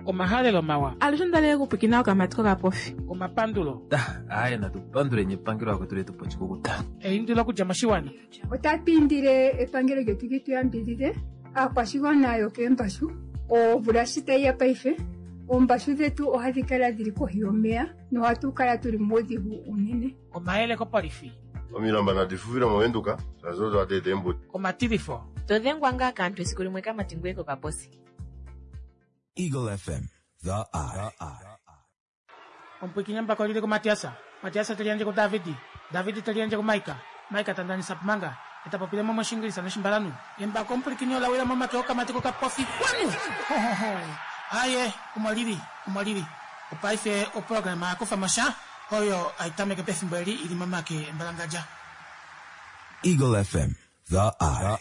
Omahalelo mawa. Alushe onda li okupwikina okamati kokapofi. Omapandulo. Aaye natu panduleni epangelo akwetu letu po oshikukuta. Eindilo okudja moshiwana. Otatu indile epangelo lyetu li tu yambidhidhe aakwashigwana yokeembashu. Omvula shi tayi ya paife, oombashu dhetu ohadhi kala dhili kohi yomeya nohatu kala tuli muudhigu uunene. Omayele kopolifi. Omilamba nadi fufile moVenduka shaashi odo hadi eta eembuto. Omatilifo. To dhengwa ngaa kaantu esiku limwe kamati ngweye kokaposi. Eagle FM, the eye. Omupwiikini embako lili kuMatiasa, Matiasa te liyandje kuDavidi, Davidi te liyandje kuMaika, Maika ta ndanisa Pumanga, e ta popile mo mOshiingilisa nOshimbalanhu. Embako omupwilikini ola wila momake okamati kokapofi kwanu! Hohoho! Aaye, omo lili, omo lili. Opaife oprograma ya kufa mo sha, oyo hai tameke pefimbo eli i li momake embalangadja. Eagle FM, the eye.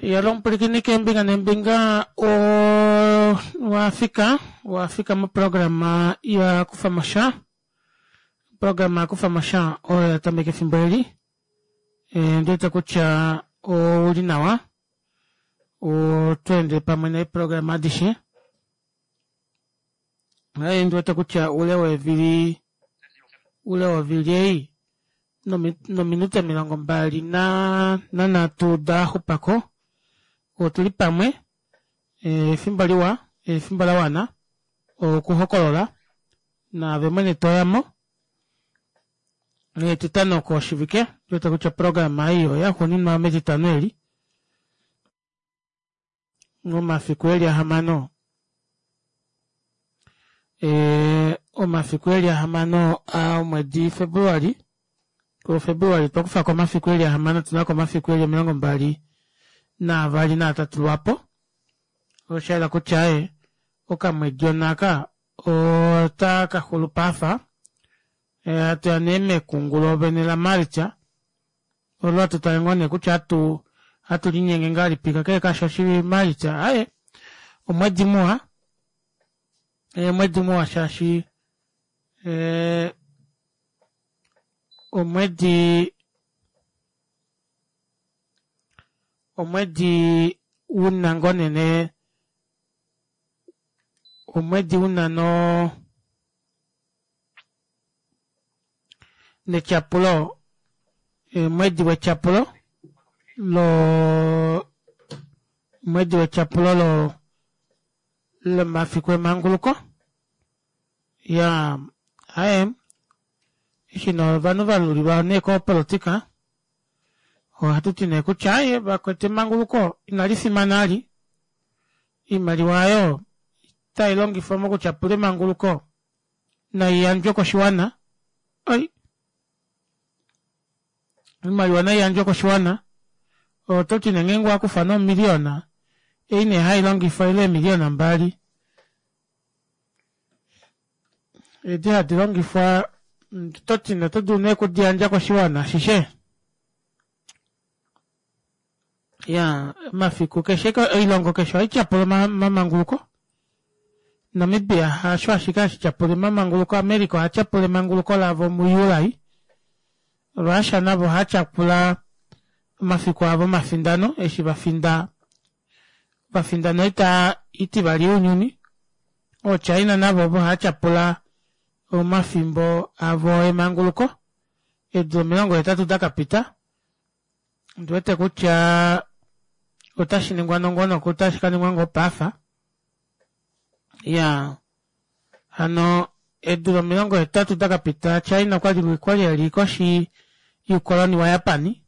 Yalo omupwilikini keembinga neembinga owa fika wa fika moprograma ya kufa mo sha oprograma ya kufa mo sha oyo ya tameka efimbo eli e, ndi wete kutya ouli nawa oto ende pamwe neeprograma adishe Naye ndi wete kutya ule weevili ule wovili ei nominute 23 da xupako otuli pamwe efimbo liwa efimbo la wana okuhokolola naave mwene toyamo etitano koshivike ndi wete kutya oprograma ei oya xuuninwa metitano eli Omafiku eli ahamano e, omafiku eli ahamano a omwedi Februali ko Februali twa kufa ko omafiku eli ahamano tuna ko omafiku eli 23 lwapo osha yela kutya e okamwedi onaka ota ka xulu paafa e, hatu ya nee mekungulo vene la Maalitsa Olo hatu tale ngoo nee kutya hatu hatu linyenge ngahelipi kakele kasho oshili Maalitsa aye omwedi muwa omwedi muwa shaashi eh, omwedi omwedi una ngoo nene omwedi una no netyapulo omwedi wetyapulo lo omwedi wetyapulo lo lomafiku emanguluko ya aye eshi nee ovanhu va lulilwa nee kopolitika ohatu ti nee kutya aye vakwetu emanguluko inali fimana ali iimaliwa ayo itai longifwa mokutyapula emanguluko nai yandjwe koshiwana oi oimaliwa nai yandjwe koshiwana oto ti nee ngeenge owa kufa nee omiliyona ei nee hai longifwa ile eemiliyona mbali edi hadi longifwa oto ti nee oto dulu nee okudi yandja koshiwana ashishe ya omafiku keshe oilongo keshe ohai tyapula omamanguluko Namibia hasho ashike hashi tyapula emamanguluko America oha tyapula emanguluko lavo muJuli Russia navo oha tyapula omafiku avo omafindano eshi va finda va finda noita itivali younyuni ooChina navo ovo hava tyapula omafimbo avo emanguluko eedula 80 da ka pita Ondi wete kutya otashi ningwa nongonoko otashi ka ningwa ngoo paafa ya hano eedula 80 da ka pita China okwali kwali eli koshi yuukoloni waJapani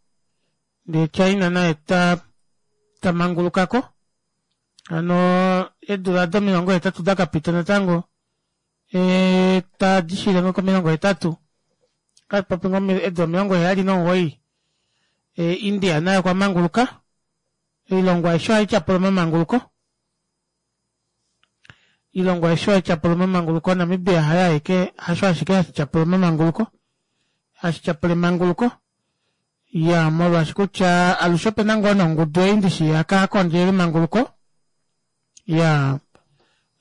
ndee China naye ta ta mangulukako hano eedula do 80 da ka pita natango e, tadi shile ngo komilongo hetatu katupopi ngo eedula 79 e, India naye okwa manguluka oilongo aishe ohai tyapula omamanguluko oilongo aishe ohai tyapula omamanguluko Namibia haye aeke hasho ashike hashi tyapula omamanguluko hashi tyapula emanguluko ya molwaashi kutya alushe opena ngoo nongudu ei ndishi yaka kondjela emanguluko ya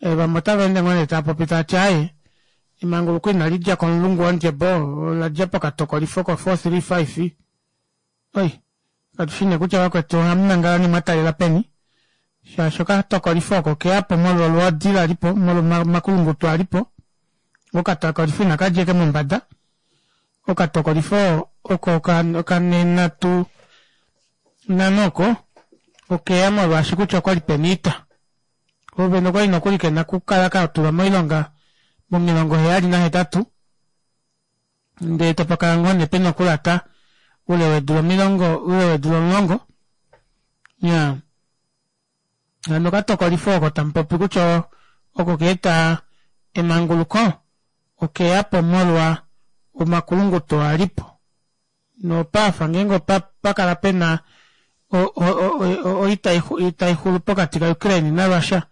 e, vamwe otava ende ngoo nee tava popi tava ti aye emanguluko inali dja komulungu wondjebo ola dja pokatokolifo ko 435 oi katu shi nee kutya vakwetu ohamu nangala nee mwa talela peni. Shaashi okatokolifo oko okeya po molwa olwoodi la li po, molwa omakulunguto a li po. Okatokolifo inaka dja ashike mombada. Okatokolifo oko okanenatu nano oko okeya molwaashi kutya okwali pena oita. Ovene okwali nokuli kena okukala ka tulwa moilonga momilongo 78 ndee tapa kala ngoo nee pena okulata oule weedula omilongo oule weedula 10. Iyaa hano okatokolifo oko tamupopi kutya oko kaeta emanguluko okeyapo molwa omakulunguto oo alipo nopaafa ngeenge opakala pena oita taixulu pokati ka Ukraine na Russia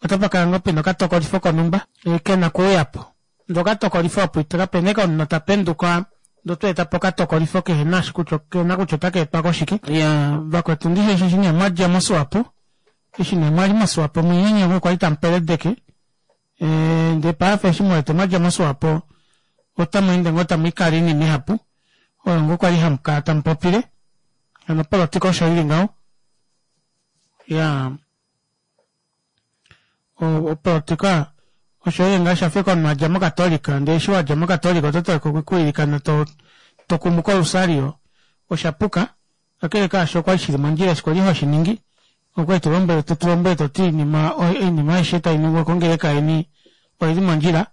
otapakala ngoo pena okatokolifo konumba kena okuuyapo ndee okatokolifo opo kapena ashike omunhu tapenduka ndee otweetapo okatokolifo kehena eshi kutya kehena kutya otakaetwa koshike. Iyaa vakwetu ndishi eshi nee mwadja moSwapo eshi nee mwali moSwapo munyenye ngoo kwali tamupeledeke ndee paife eshi muwete mwadja moSwapo otamweende ngoo tamwiikala oinima ihapu oyo ngoo kwali hamukala tamupopile hano opolitika osho ili ngaho iyaa opolitika osho ili ngaho shafa ashike omunhu adja mokatolika ndee eshi wadja mokatolika oto tameke okwiilikana tokumuka olusario oshapuka kakele kaasho okwali shili mondjila eshi kwali hoshiningi okwali tolombwele totulombwele toti oinima aishe tainingwa kongeleka yeni oili mondjila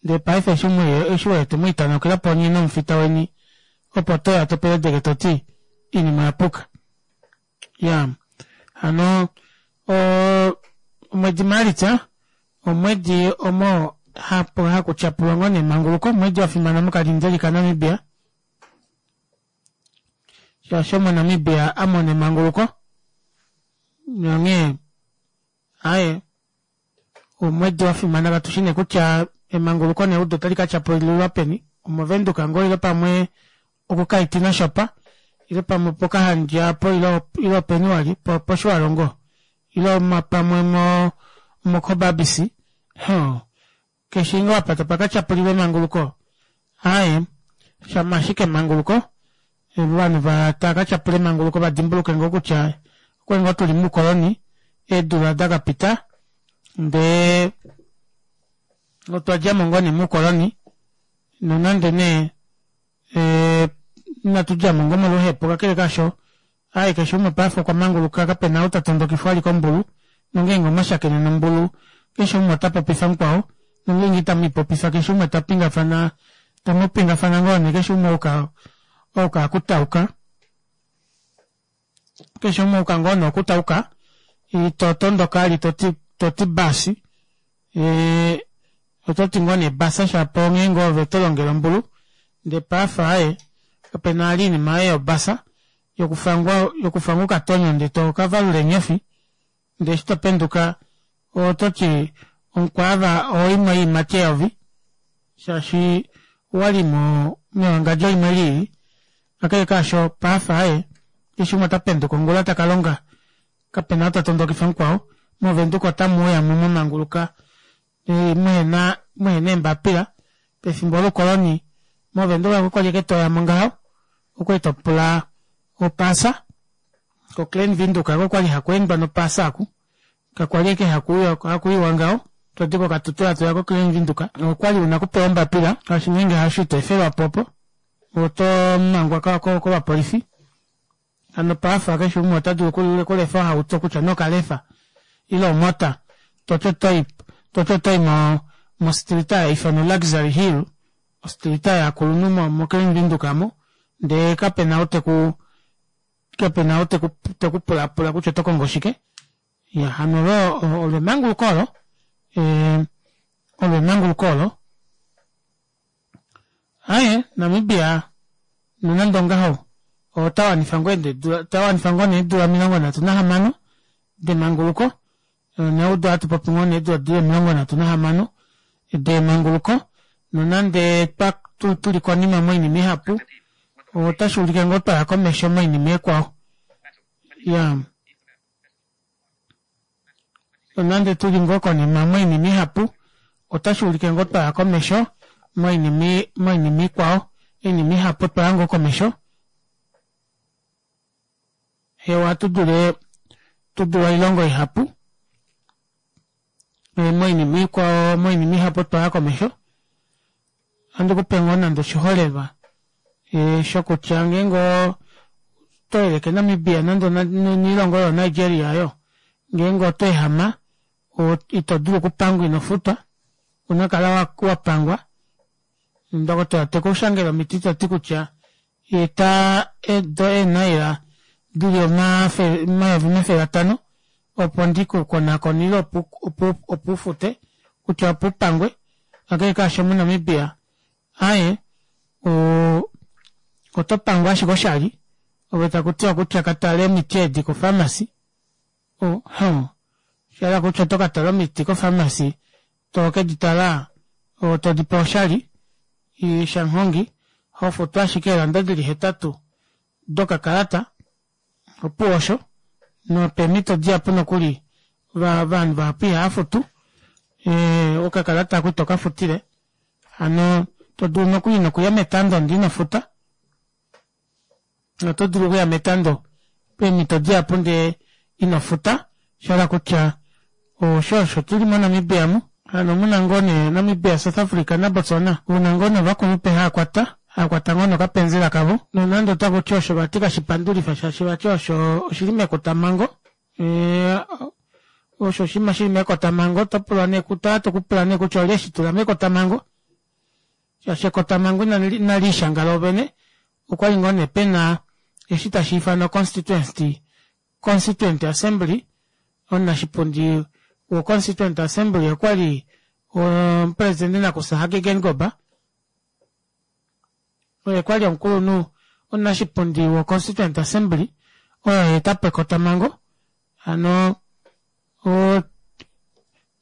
ndee paife eshi eshi wete mwiitanaukila onye nomufita weni opo toya topeledeke toti oinima oyapuka iyaa hano omwedi maalitsa omwedi omo hakutyapulwa ngoo nee emanguluko omwedi wafimana mokalindeli kanamibia shaashi omo Namibia amona emanguluko nonghee aaye omwedi wafimana katushi nee kutya emanguluko neudo otali katyapulilwa peni omovenduka ngoo ile pamwe okukaitina shopa ile pamwe pokahandja apo ile openi wali poshiwalongo ile pamwe mokobabisi keshe ngoo apa tapakatyapulilwa emanguluko aaye shama ashike emanguluko ovanhu tava katyapula emanguluko vadimbuluke ngoo kutya okwali ngoo tuli moukoloni eedula dakapita ndee otwadjamo ngoo nee moukoloni nonande nee inatudjamo ngoo moluhepo kakele kaasho aaye keshe umwe paife okwa manguluka kapena ou tatondokifwa ali kombulu nongeenge omwashakene nombulu keshe umwe otapopifa mukwao nongeenge itamwiipopifa keshe umwe tapingafana tamupingafana ngoo nee keshe umwe ouka okutauka keshe umwe ouka ngoo nee okutauka itotondoka ali toti basi ototi ngoo nee basa shapo ngeenge ove tolongele ombulu ndee paife aaye kapena vali oinima ei yobasa yokufangwa okatonyo ndee tokavalula eenyofi ndee eshi topenduka ototi omukwaava oimwe yoiimati eyovi shaashi owali mewangadjo limwe lili kakele kaasho paife aaye keshe umwe otapenduka ongula takalonga kapena ou tatondokifa mukwao movenduka otamuuyamo mwamanguluka muhena eembapila pefimbo loukoloni movenduka kakwali ashike toyamo ngaho okwali topula opasa ko Klein Windhoek okwali hakweendwa nopasa aku kakwali ashike hakuiwa ngaho todi koKatutura toya ko Klein Windhoek okwali una okupewa ombapila shaashi ngeenge hasho ito efelwapo opo oto mangwa kovapolifi hano paife keshe umwe ota dulu okulefa ohauto kutya nee okalefa ile omota toti otoyi mostrita haifanwa Luxury Hill ostrita yovakulunhu moKlein Windhoek aamo ndee kapena ou teku kapena ou tekupulapula kutya oto kongo shike iya hano olo emanguluko olo olo emanguluko olo aaye Namibia nonande ongaho otawanifa ngoo nee eedula 36 demanguluko neudo ohatu popi ngoo nee eedula dili 36 demanguluko nonande tuli konima moinima ihapu otashuulike ngoo twaya komesho moinima ikwao iya nonande tuli ngoo konima moinima ihapu otashuulike ngoo twaya komesho moinima ikwao oinima ihapu twaya ngoo komesho hewa ohatu dule. Tu dule oilongo ihapu moinima ikwao moinima ihapu otwa ya komesho. Ohandi kupe ngoo nande oshiholelwa shokutya ngeenge oto yeleke Namibia nande noilongo yoo Nigeria oyo ngeenge oto ehama ito dulu okupangwa ino futwa ouna okukala wapangwa. Ndokotola tekushangele omiti tati kutya eta edo eenaila dili 500,000 opo ndikukonakone ile opo ufute kutya opo upangwe kakele kaasho moNamibia aaye oto pangwa ashike oshali ove takutiwa kutya katale omiti edi ko pharmacy oshahala kutya oto katala omiti ko pharmacy tokedi tala todipewa oshali shanghongi hofutu ashike eelanda dili 8 dokakalata opuwo osho nopeemhito dihapu nokuli ovanhu vahapu ihava futu okakalata ako itoka futile hano to dulu nokuli nokuya metando ndee ino futa oto dulu okuya metando peemhito dihapu ndee ino futa shahala kutya osho osho tuli moNamibia mu hano muna ngoo nee Namibia, South Africa naBotswana una ngoo nee ovakulupe haakwata haakwata ngoo nokapenzela kavo nonande otakuti osho vati kashipandulifa shaashi vati osho oshili mekotamhango osho oshinima shili mekotamhango oto pulwa nee oto pula nee kutya olye eshitula mekotamhango shaashi ekotamhango inaliishanga loovene okwali ngoo nee pena eshi tashi ifanwa constituency constituent assembly omunashipundi wo constituent assembly okwali omupresidente nakusa Hage Geingob oye kwali omukulunhu omunashipundi wo constituent assembly oyo yaetapo ekotamhango hano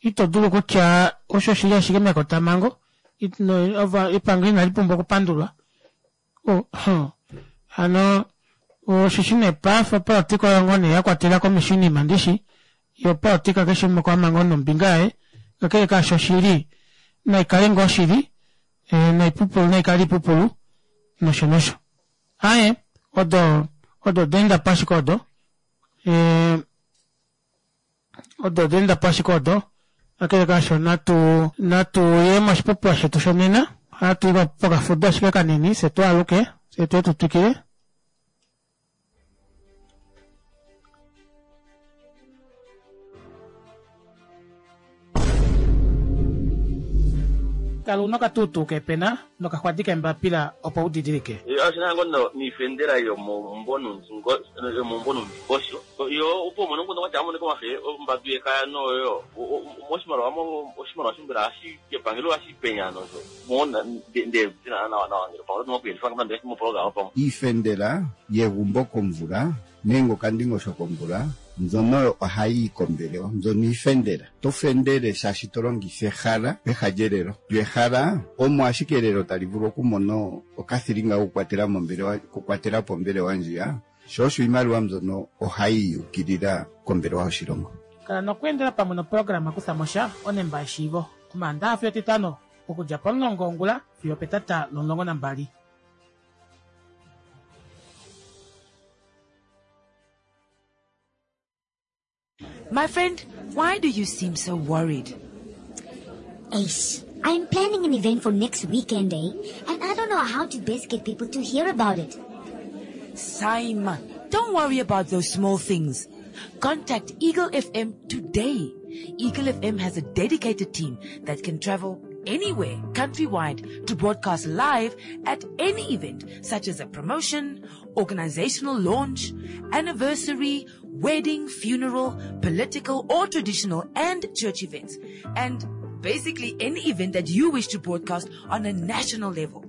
ito dulu kutya osho oshili ashike mekotamhango epangelo inali pumbwa okupandulwa hano osheshi nee paife opolitika oyo ngoo nee yakwatela komesho oinima ndishi yo opolitika keshe umwe okwama ngoo nombinga yaye kakele kaasho oshili naikale ngoo oshili noipupulu naikale oipupulu nosho nosho aaye odo odo daendapo ashike odo odo daendapo ashike odo kakele kaasho natu natu ye moshipopiwa shetu shonena ohatu i pokafudo ashike kanini fye twaaluke fye tuye tu twikile. Kala una okatuutuu keepena nokaxwadi keembapila opo u didilike. Oshina ngo no niifendela yomomumvo nuundingosho yo opo umone nguno kwati amoneka omafe ombadu yekaya noyo moshimaliwa oshimaliwa shimbela hashi kepangelo hashi penya nosho mona nde tina nawa nawa ngele pamwe oto moku nande mo program pamwe. Iifendela yegumbo komvula nenge okandingosho komvula mbyono ohayi yi kombelewa mbyono iifendela. Oto fendele shaashi to longitha ehala peha lyelelo. Lyo ehala omo ashike elelo tali vulu okumona okathilinga kokukwatela mombelewa okukwatela po ombelewa ndjiya, sho osho iimaliwa mbyono ohayi yi ukilila kombelewa yoshilongo. Kala nokweendela pamwe noprograma Kutha mo sha onemba yeshiivo Omaandaha fiyo Etitano okudja pomulongo wongula fiyo opetata lomulongo nambali. My friend, why do you seem so worried? Ace, I'm planning an event for next weekend, eh? And I don't know how to best get people to hear about it. Simon, don't worry about those small things. Contact Eagle FM today. Eagle FM has a dedicated team that can travel anywhere countrywide to broadcast live at any event, such as a promotion, organizational launch, anniversary, wedding, funeral, political or traditional and church events, and basically any event that you wish to broadcast on a national level.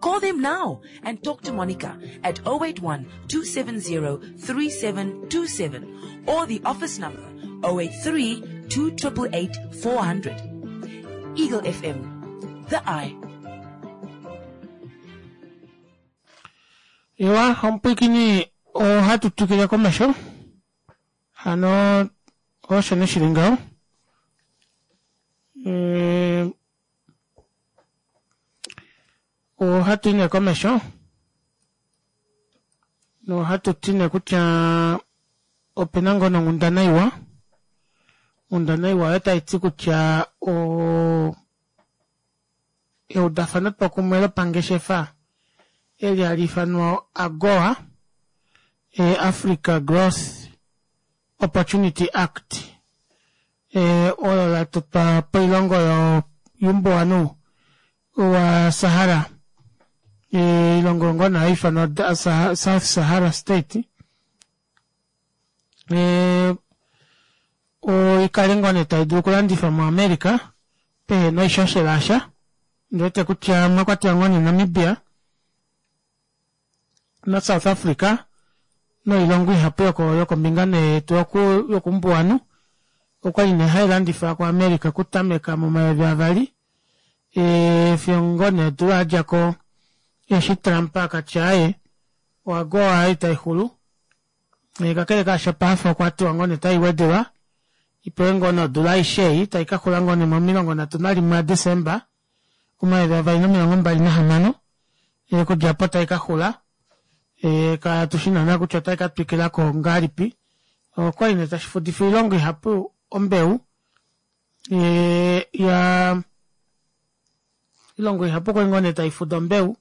Call them now and talk to Monica at 081-270-3727 or the office number 083-2888-400. Eagle FM, the eye. Ewa, omupwiikini ohatu twikile komesho. Hano osho nee shili ngaho. Eh, ohatu i nee komesho nohatu ti nee kutya. Opena ngoo nonghundana iwa. Onghundana iwa oyo tai ti kutya o eudafanotwokumwe lopangeshefa eli hali ifanwa AGOA, Africa Growth Opportunity Act, olo la totwa poilongo youmbuwanhu wa Sahara, oilongo ngoo nee hai ifanwa South Sahara State, oikale ngoo nee tai dulu okulandifwa moAmerica pehena oishoshela yasha. Ondiwete kutya omwa kwatelwa ngoo nee Namibia naSouth Africa noilongo ihapu yokombinga nee yetu yokumbuwanhu okwali nee hai landifwa kuAmerica okutameka momayovi avali fiyo ngoo nee odula yadja ko eshi Trump akatya aaye oAGOA ei taixulu. Kakele kaasho paife okwa tiwa ngoo nee otai wedelwa ipewe ngoo nee odula aishe ei tai ka xula ngoo nee momilongo nhatu nalimwe aDesemba 2026 okudja opo tai ka xula katu shi naana kutya otai ka twikila ko ngahelipi. Okwali nee tashi fudifa oilongo ihapu ombeu ya oilongo ihapu okwali ngoo nee tai fuda ombeu.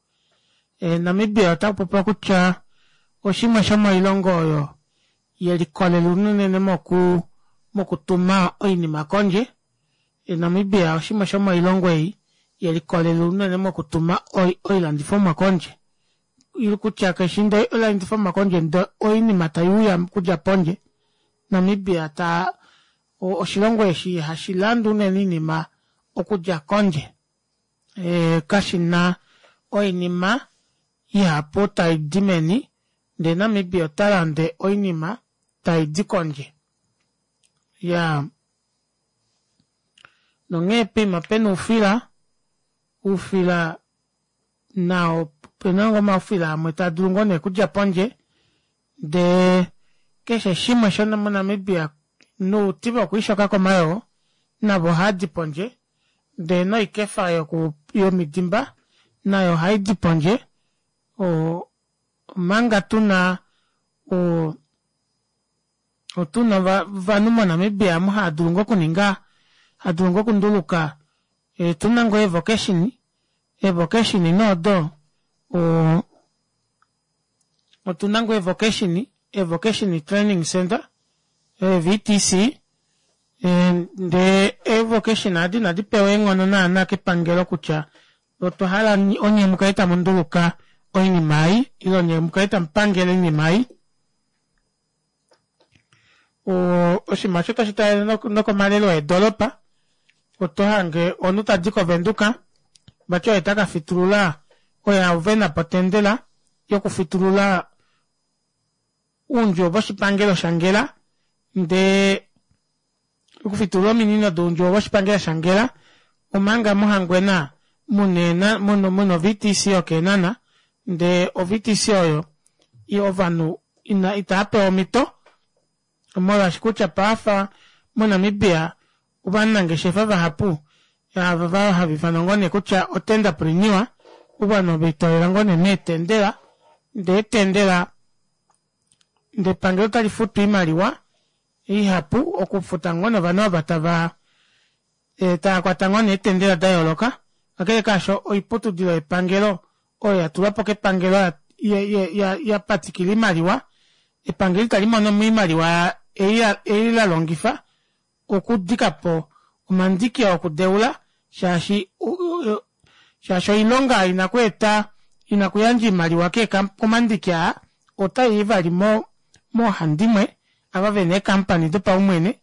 Namibia ota popiwa kutya oshimwe shomoilongo oyo yelikolela unene moku mokutuma oinima kondje. Namibia oshimwe shomoilongo ei yelikolela unene mokutuma oilandifomwa kondje. Kutya keshi ndee oilandifomwa kondje ndee oinima tai uya okudja pondje. Namibia ta oshilongo eshi hashi lande unene oinima okudja kondje. Kashi na oinima ihapu tai di meni ndee Namibia ota lande oinima tai di kondje. Iyaa nonghee poima pena oufila, oufila nao opena ngoo omaufila amwe taa dulu ngoo nee okudja pondje ndee keshe shimwe shono moNamibia nouti vokwiishoka komayoo navo ohaadi pondje ndee noikefa yoku yomidimba nayo ohaidi pondje omanga tuna o Otuna ovanhu moNamibia amu hava dulu ngoo okuninga, hava dulu ngoo okunduluka, otuna ngoo eevocation, eevocation nee odo otuna ngoo eevocation, eevocation training centre, eeVTC, ndee eevocation adi inadi pewa eenghono naana kepangelo kutya otwa hala onye mukale tamu nduluka oinima ei ile onye mukale tamu pangele oinima ei. Oshinima osho tashi talele nokomalelo eedolopa, oto hange omunhu tadi koVenduka vati oye taka fitulula oye a vena po otendela yokufitulula oundjuwo voshipangelo shaNgela ndee okufitulula ominino doundjuwo voshipangelo shaNgela omanga mOhangwena muna muna oVTC yokEenhana ndee oVTC oyo ovanhu ina itava pewa omhito molwaashi kutya paafa moNamibia ovanangeshefa vahapu ava hava ifanwa ngoo nee kutya otenderpreneur ovanhu ove litolela ngoo nee meetendela ndee etendela ndee epangelo otali futu oimaliwa ihapu okufuta ngoo nee ovanhu ava tava tava kwata ngoo nee eetendela da yooloka kakele kaasho oiputudilo yepangelo oyo ya tulwa po kepangelo ya patikila oimaliwa epangelo itali mono mo oimaliwa ei la longifa okudika po omandiki okudeula shaashi shaashi oilonga ina kweeta ina kuyandja oimaliwa komandiki aa otai i vali moohandimwe ava vena eekampani dopaumwene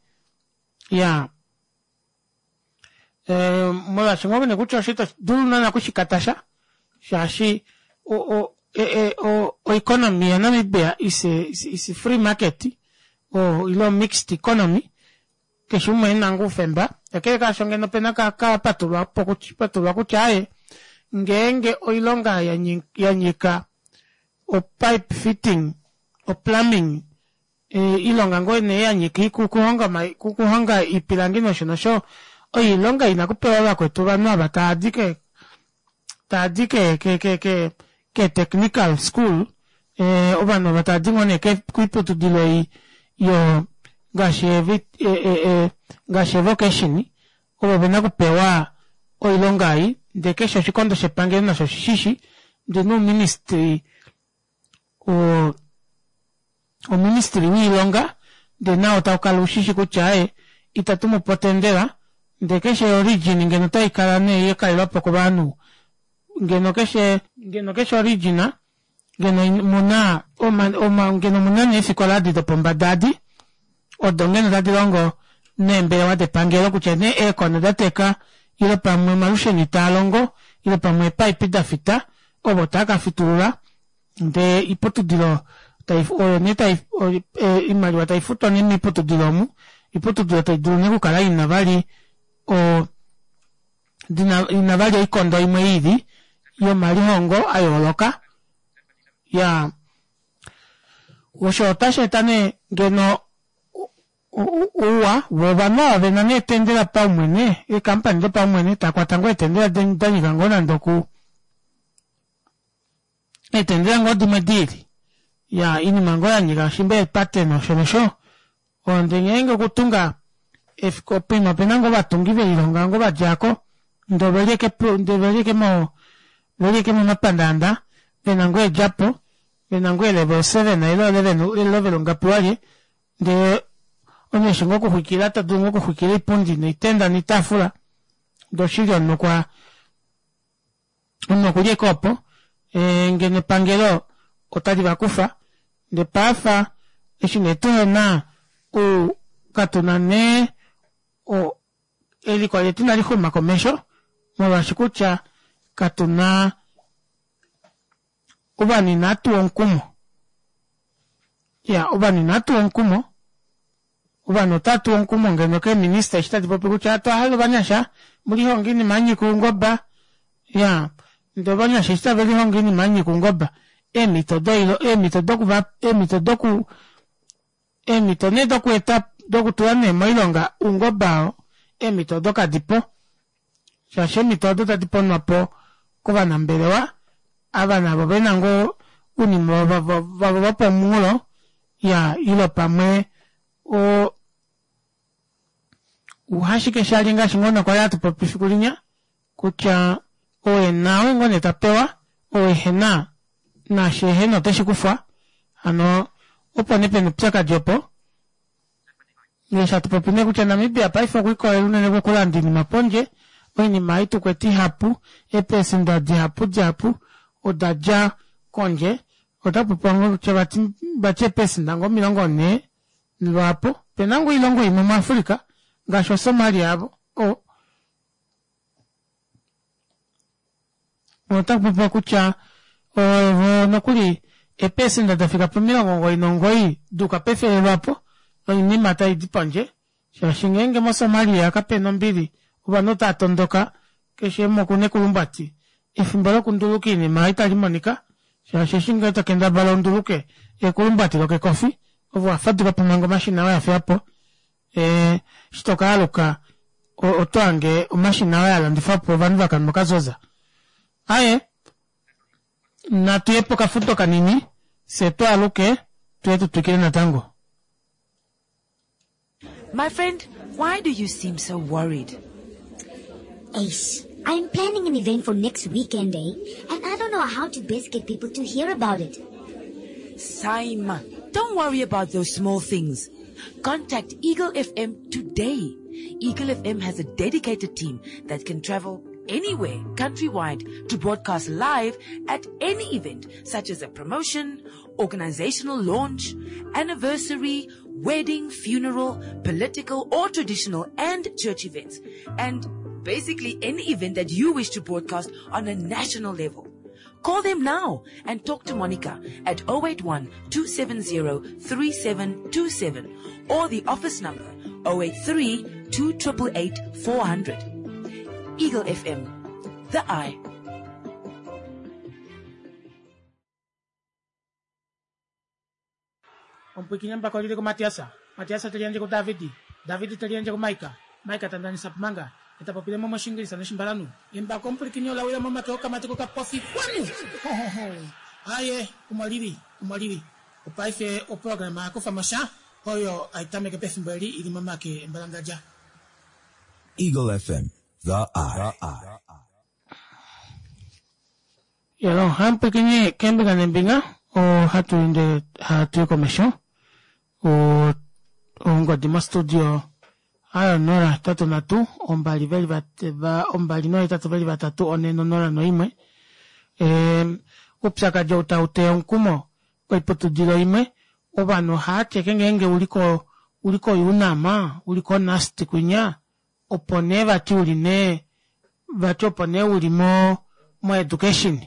ya molwaashi ngoo nee kutya osho ito dulu naana okushikatasha shaashi oeconomy yaNamibia is a free market ile mixed economy keshe umwe ena ngoo oufemba kakele kaasho ngeno opena kapatulwa patulwa kutya aaye ngeenge oilonga yanyika opipe fitting oplumbing oilonga ngoo nee yanyika okuhonga oipilangi nosho nosho oilonga ina kupewa vakwetu ovanhu ava tavadi ke tavadi ke ke ke ke ke technical school ovanhu ava tavadi ngoo nee koiputudilo ei. yo ngaashi ngaashi evocation ovo vena okupewa oilonga ei ndee keshe oshikondo shepangelo nasho oshishishi ndee nouministry o oministry woilonga ndee nao taukala ushishi kutya aaye itatu mupe otendela ndee keshe origin ngeno otaikala nee yakalelwapo kovanhu ngeno keshe ngeno keshe origin ngeno muna oma ngeno muna neefikola adi dopombada adi odo ngeno tadi longo neembelewa depangelo kutya nee eekona da teka ile pamwe omalusheno itaa longo ile pamwe eepaipi da fita ovo taa ka fitulula ndee oiputudilo tai oyo nee tai oimaliwa tai futwa nee moiputudilo omu oiputudilo tai dulu nee okukala ina vali o dina ina vali oikondo imwe ili yomalihongo a yooloka ya osho otashi eta nee ngeno ouwa vovanhu ava vena nee etendela paumwene eekampani dopaumwene takwata ngoo eetendela danyika ngoo nande oku eetendela ngoo dimwe diili ya inima ngoo yanyika shimba eepate nosho nosho Onde ngeenge okutunga poima opena ngoo ovatungi velilonga ngoo vadjako ndee oveli ashike ndee oveli ashike mo oveli ashike momapandaanda vena ngoo eedjapo vena ngoo elevel 7 ile olevel ngapi walye ndee omunhu eshi ngoo okuxwikila tadulu ngoo okuxwikila oipundi noitenda noitaafula ndee oshili omunhu okwa omunhu okuli ashike opo ngeno epangelo otali vakufa ndee paife eshi nee tuhena katuna nee eliko letu inali xuma komesho molwaashi kutya katuna ovanhu inaa tuwa omukumo ya ovanhu inaa tuwa omukumo Ovanhu otava tuwa omukumo ngeno keeminista eshi tadi popi kutya otwa hala ovanyasha mulihonge oinima ya nyika oungoba ya ndee ovanyasha eshi tave lihongo oinima ya nyika oungoba eemhito doilo eemhito dokuva eemhito doku eemhito nee dokueta dokutula nee moilonga oungoba oo eemhito odo kadipo shaashi eemhito odo tadi ponwa po kovanambelewa ava navo vena ngoo ounima vavo vopomunghulo ya ile pamwe o uhashike shali ngaashi ngoo nokwali hatu popi fiku linya kutya ou ena oye ngoo nee ta pewa ou ehena naashi ehena oteshi kufwa hano opo nee pena oupyakadi opo Eshi hatu popi nee kutya Namibia paife okwa ikolelela unene kokulanda oinima pondje, oinima ei tukwete ihapu, eeperesenda dihapu dihapu oda dja kondje. Ota popiwa ngoo kutya vati vati eeperesenda ngoo 40 lwaapo. Opena ngoo oilongo imwe muAfrica ngaashi oSomalia avo o Ota popiwa kutya ovo nokuli eepesenda da fika pomilongo omugoyi nomugoyi duuka pefele lwapo oinima tai di pondje shaashi ngeenge moSomalia kapena ombili ovanhu otava tondoka keshe umwe okuna ekulumbwati efimbo lokunduluka oinima itali monika shaashi eshi ngee to kendabala unduluke ekulumbwati lokekofi ove owafaduka po manga omashina oye afiyapo eshi to ka aluka oto hange omashina oye alandifwapo ovanhu vakanwa okazoza aaye natu ye pokafudo kanini fye tu aluke tuye tu twikile natango. My friend, why do you seem so worried? Ace, I'm planning an event for next weekend, eh? And I don't know how to best get people to hear about it. Saima, don't worry about those small things. Contact Eagle FM today. Eagle FM has a dedicated team that can travel anywhere countrywide to broadcast live at any event such as a promotion, organizational launch, anniversary, wedding, funeral, political or traditional and church events. And basically any event that you wish to broadcast on a national level. Call them now and talk to Monica at 081 270 3727 or the office number 083 2888 400. Eagle FM, the eye. Omupwiikini embako olili kuMatias, Matias te liyandje kuDavid, David te liyandje kuMike, Mike ta ndanisa Pumanga, ye ta popile mo mOshiingilisa nOshimbalanhu. Embako omupwilikini ola wila momake okamati kokapofi kwanu! Ho-ho-ho! Aaye, omo lili, omo lili. Opaife oprograma oya kufa mo sha. Oyo hai tameke pefimbo eli ili momake embalangadja. Eagle FM, the eye. Yalo, hamupwikinye keembinga neembinga, ohatu ende hatu i komesho. Ongodi mostudio ayo 083 2 veli va 2 nohetatu veli vatatu 4 0 noimwe. Oupyakadi ou tau teya omukumo koiputudilo imwe, ovanhu ohava ti ashike ngeenge uli ko uli koUNAM, uli koNUST kwinya, opo nee vati uli nee vati opo nee uli mo moeducation.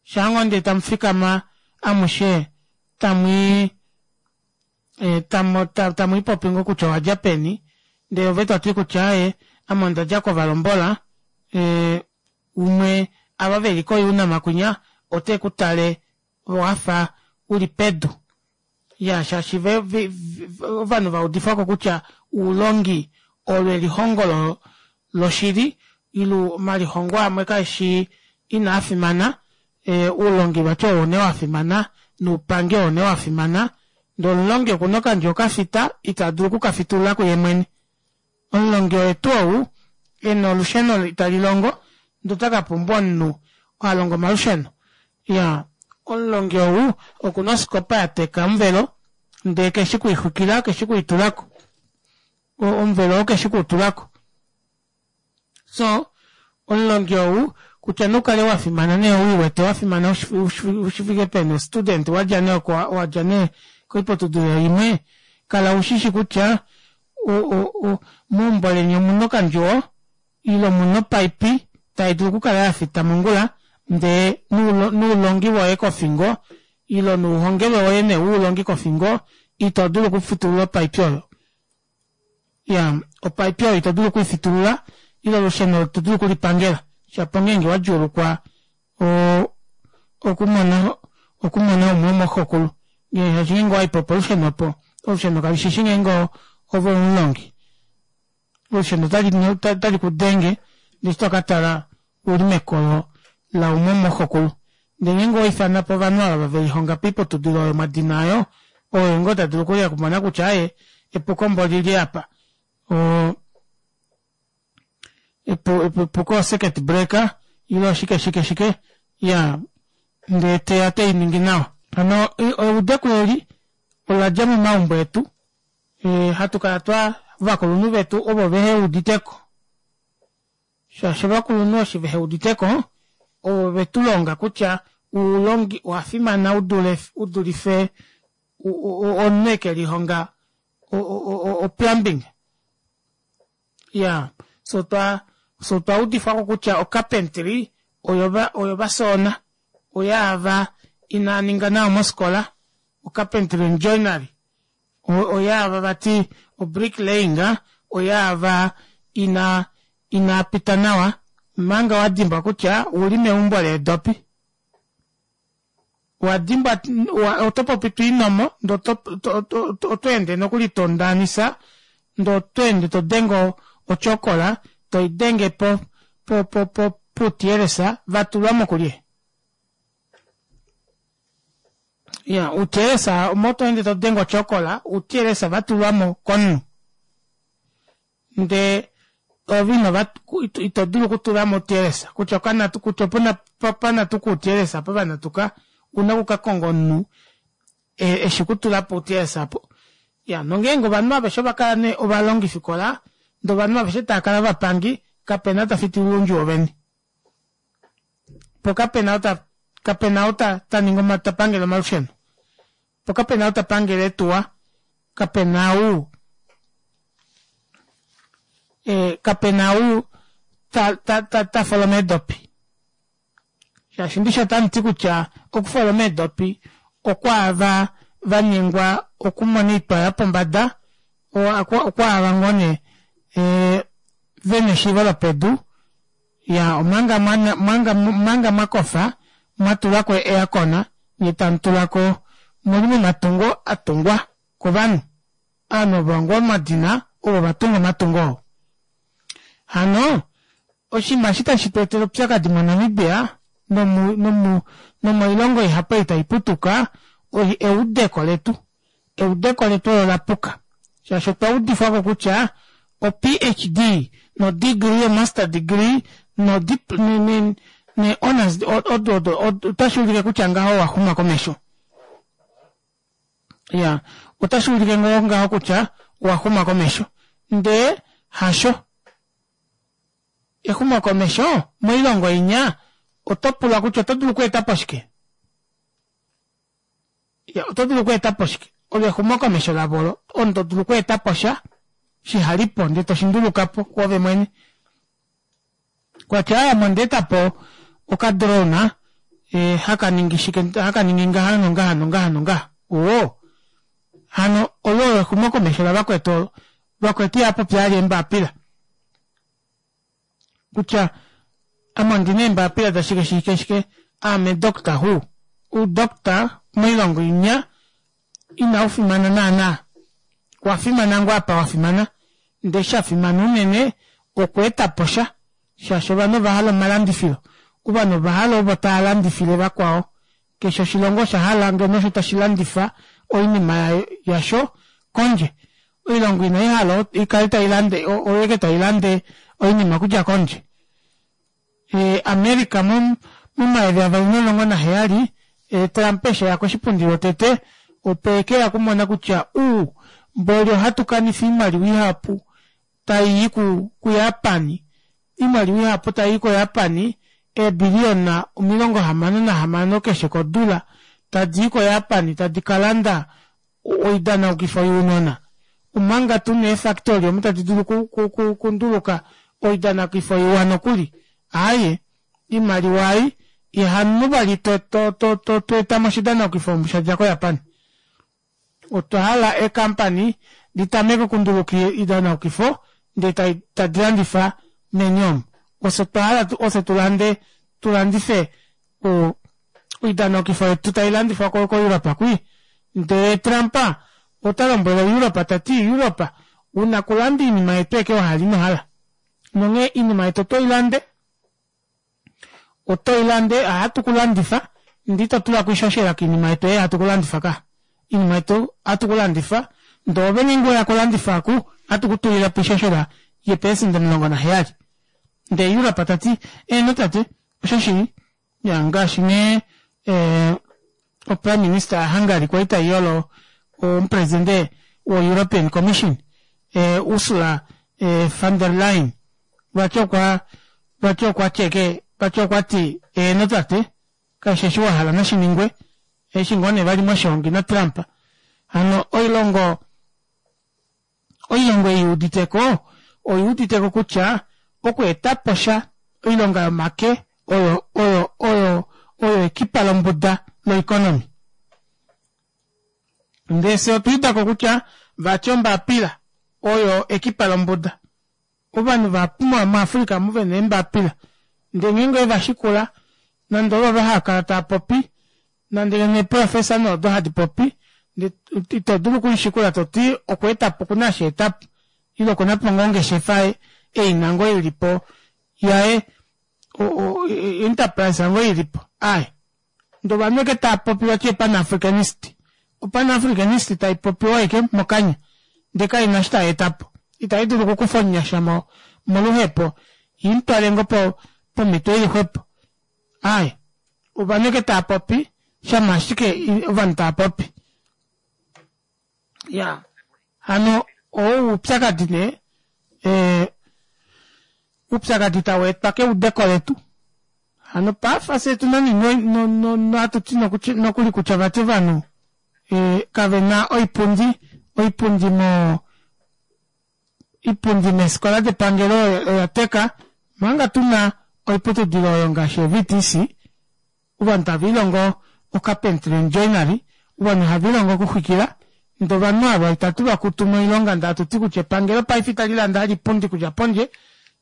Shaa ngoo ndee tamu fikama amushe tamwii tamu ipopi ngoo kutya owadja peni, ndee ove toti kutya aaye ame ondadja kovalombola, umwe ava veli koUNAM kwinya ote ku tale wafa uli pedu. Ya shaashi ve, ve, ovanhu va udifwako kutya oulongi olo elihongo lo, loshili ile omalihongo amwe kaeshi inaa fimana, e, oulongi vati owo nee wa fimana noupangi owo nee wa fimana, ndee omulongi okuna okandji okafita ita dulu okukafitulula kuye mwene. Omulongi oye tuu ou ena olusheno itali longo ndee ota ka pumbwa omunhu oo a longa omalusheno. Iyaa, omulongi ou okuna osikopa ya teka omuvelo ndee keshi kuixwikila keshi kuitulako. Omuvelo oo keshi kuutulako. So, omulongi ou kutya nee ukale wa fimana nee uiwete wa fimana ushifike peni student wadja nee oko wadja nee koiputudilo imwe kala ushishi kutya meumbo leni omuna okandjuwo ile omuna opaipi tai dulu okukala ya fita mongula ndee noulongi woye kofingo ile nouhongelwe woye nee woulongi kofingo ito dulu okufitulula opaipi oyo. Ya, opaipi oyo ito dulu okuifitulula ile olusheno ito dulu okulipangela shapo ngeenge wa djuulukwa okumona okumona umwe womoxokulu shaashi ngeenge owaipo polusheno opo olusheno kalishishi ngeenge ove omulongi olusheno otali ku denge ndee eshi tokatala uli mekolo laumwe womoxokulu ndee ngeenge owa ifana po ovanhu ava velihonga poiputudilo oyo mwadina ayo oye ngoo ta dulu okuya okumona kutya aaye epuko mbo olili apa epuko ocircuit breaker ile oshike shike shike ya ndee teya teiningi nawa. Hano eudeko eli ola dja momaumbo etu e, hatu kala twa ovakulunhu vetu ovo vehe uditeko shaashi ovakulunhu eshi vehe uditeko ovo vetu longa kutya oulongi owa fimana udule udulife omunhu eke lihonga o-plumbing. Ya, so twa so twa udifwako kutya ocarpentry oyo oyo vasoona oyaava inaa ninga nawa mosikola ocarpentry and joinery oyaava vati obricklaying oyaava ina inaa pita nawa manga wa dimbwa kutya ouli meumbo leedopi. Owa dimbwa oto popi to inomo ndee oto ende nokuli to ndaanisa ndee oto ende to denge ochokola toidenge po po po po puutiyelesa va tulwa mo kulye. Ya, uutiyelesa omo to ende to denge ochokola uutiyelesa va tulwa mo komunhu. Ndee ove ino va ito dulu okutula mo uutiyelesa kutya okanatu kutya opuna panatuka uutiyelesa apa vanatuka una oku ka konga omunhu eshi kutula po uutiyelesa apo. Ya, nongeenge ovanhu aveshe ova kala nee ovalongifikola ndee ovanhu aveshe tava kala ovapangi kapena ta fitulula oundjuwo veni. Po kapena ou ta kapena ou ta ta ningi ta pangele omalusheno. Po kapena ou ta pangele eetuwa, kapena ou e, kapena ou ta ta ta ta foloma eedopi. Shaashi ndishi otamu ti kutya okufoloma eedopi okwaava va nyengwa okumona oitwa yopombada, okwaava ngoo nee e, vena eshiivo lopedu, ya omanga manga manga mwa kofa mwa tulako eakona nye tamu tulako muli momatungo a tungwa kovanhu ovanhu ovo ngoo mwadina ovo va tunga omatungo oo hano oshinima eshi tashi tu etele oupyakadi moNamibia nomu nomu nomoilongo ihapu ei tai putuka eudeko letu. Eudeko letu olo la puka shaashi otwa udifwa ko kutya o-PhD no-degree, o-master degree ne-honors odo odo otashi ulike kutya ngaho owa xuma komesho. Ya, otashi ulike ngoo ngaho kutya owa xuma komesho. Ndee hasho. Exumokomesho moilongo inya oto pulwa kutya oto dulu okweeta po shike? Ya, oto dulu okweeta po shike? Olo exumokomesho lavo olo. Omunhu to dulu okweeta po sha shiha li po ndele to shi nduluka po kwoove mwene. Kwa tya ame onda eta po okadrone eh, haka ningi shike, haka ningi ngaha nongaha nongaha nongaha. Oo. Hano olo olo exumokomesho lavakwetu olo. Vakwetu ihava popi vali eembapila. Kutya ame ondina eembapila dashike shike shike, aame Doctor Who. Oudoctor moilongo inya inau fimana naana. Wa fimana ngoo apa wa fimana, ndee sha fimana unene okweeta po sha, shaashi ovanhu ova hala omalandifilo. Ovanhu ova hala ovo tava landifile vakwao. Keshe oshilongo osha hala ngeno osho tashi landifa oinima yasho kondje. Oilongo inai hala i kale tai lande oyo ashike tai lande oinima okudja kondje. America mo 2017 Trump eshi eya koshipundi lwotete opo ekeya okumona kutya uu mboli ohatu kanifa oimaliwa ihapu tai i kuJapan, oimaliwa ihapu tai i koJapan eebiliyona 66 keshe kodula tadi i koJapan tadi ka landa oidanaukifo younona omanga tu na eefactory omo tadi dulu okunduluka oidanaukifo iwa nokuli. Aaye, oimaliwa ei ihamu vali to eta mo oshidanaukifo omu sha dja koJapan. Otwa hala eekampani di tameke okunduluka oidanaukifo ndee tadi landifa meni omu. Ofye otwa hala ofye tu lande tu landife oidanaukifo yetu tai landifwa koEuropa kwii. Ndele Trump ota lombwele Europa ta ti, Europa, una kulanda oinima yetu eke wa hala ino hala. Nonghee oinima yetu oto i lande, oto i lande, ohatu ku landifa, ndee ito tula ko oishoshela koinima yetu ei hatu ku landifa ka. Oinima yetu ohatu ku landifa, ndee ove ngeenge weya kulandifa oku, ohatu ku tulile po oishoshela yeepelesenda 17. Ndee Europa ta ti, Eeno tate, oshoshili. Ya ngaashi nee eh, oprime minister yaHungary kwali tai yolo omupresidente woEuropean Commission eh, Ursula eh, von der Leyen vati okwa vati okwa tyeke vati okwa ti eeno tate keshe eshi wa hala nashi ningwe eshi ngoo nee vali moshihongi naTrump hano oilongo Oilongo ei i udite ko oi udite ko kutya okweeta po sha oilonga yomake oyo oyo oyo oyo ekipa lombuda loikonomi. Ndee fye otwa uda ko kutya vati ombapila oyo ekipa lombuda. Ovanhu vahapu muAfrica omu ve na eembapila ndee ngeenge ove va shikula nande ovo hava kala tava popi nande ngeno eeprofesa nee odo hadi popi ndee ito dulu okulishikula to ti okwa eta po okuna eshi a eta po ile okuna po ngoo ongeshefa e i na ngoo i li po yaye enterprise ngoo i li po aaye ndee ovanhu ashike tava popi vati oPan-Africanist oPan-Africanist tai popiwa ashike mokanya ndee kai na eshi tai eta po itai dulu okukufa omunyasha moluhepo i mu twale ngoo pomhito i li xwepo Aaye, ovanhu eke tava popi, shama ashike ovanhu tava popi. Ya, hano oo oupyakadi nee, eh, oupyakadi tau etwa keudeko letu. Hano paife fye tu na nee no, no, no, hatu ti nokuli kutya vati ovanhu eh, kave na oipundi, oipundi mo, Oipundi meefikola depangelo oya teka, omanga tu na oiputudilo oyo ngaashi oVTC, ovanhu tave lihongo ocarpentry and joinery, ovanhu have lihongo okuxwikila, ndee ovanhu ava itatu va kutu moilonga ndee hatu ti kutya epangelo paife itali lande vali oipundi okudja pondje,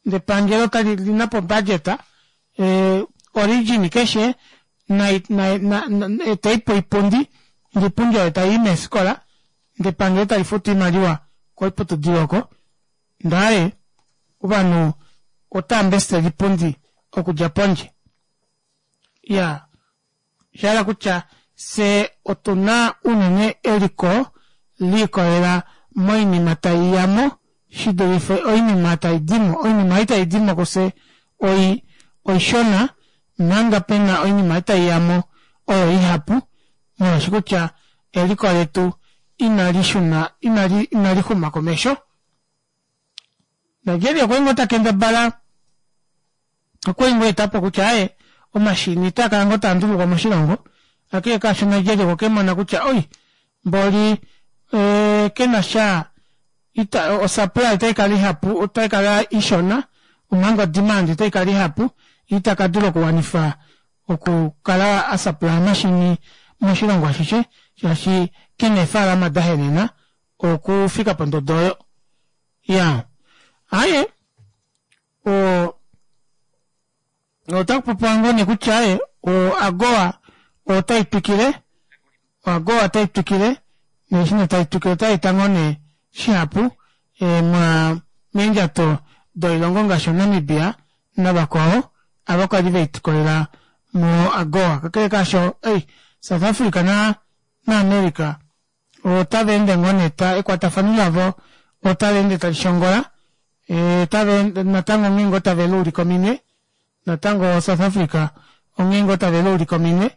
ndee epangelo otali li na po obudget, origin keshe nai nai etei po oipundi, ndee oipundi oyo tai i meefikola. Ndee epangelo tali futu oimaliwa koiputudilo oko, ndaaye ovanhu otava mbestele oipundi okudja pondje. Iyaa, osha hala kutya fye otu na unene eliko liikolela moinima tai ya mo shi dulife oinima tai di mo. Oinima ei tai di mo kufye oi oishona manga pe na oinima ei tai ya mo oyo ihapu molwaashi kutya eliko letu inali shuna inali inali xuma komesho. Nigeria okwa li ngoo ta kendabala okwa li ngoo eta po kutya aaye omashini otaa kala ngoo taa ndulukwa moshilongo kakele kaasho Nigeria okwe ke mona kutya oi mboli ee, ke na sha ita, osupply otai kala ihapu otai kala ishona omanga odemand otai kala ihapu ita ka dula okuwanifa okukala a supply omashini moshilongo ashishe shaashi ke na eefaalama da henena okufika pondodo oyo ya aye o otaku popiwa ngoo nee kutya aye o agoa otai twikile oagoa otai twikile neeshi nee tai twikile otai eta ngoo nee shihapu e, mwa meendjato doilongo ngaashi oNamibia navakwao ava kwali veitikolela mo agoa kakele kaasho ei South Africa na naAmerica otava ende ngoo nee ta ekwatafano lavo otali ende tali shongola otava ende natango onghee ngoo tave luulika ominwe natango South Africa onghee ngoo tave luulika ominwe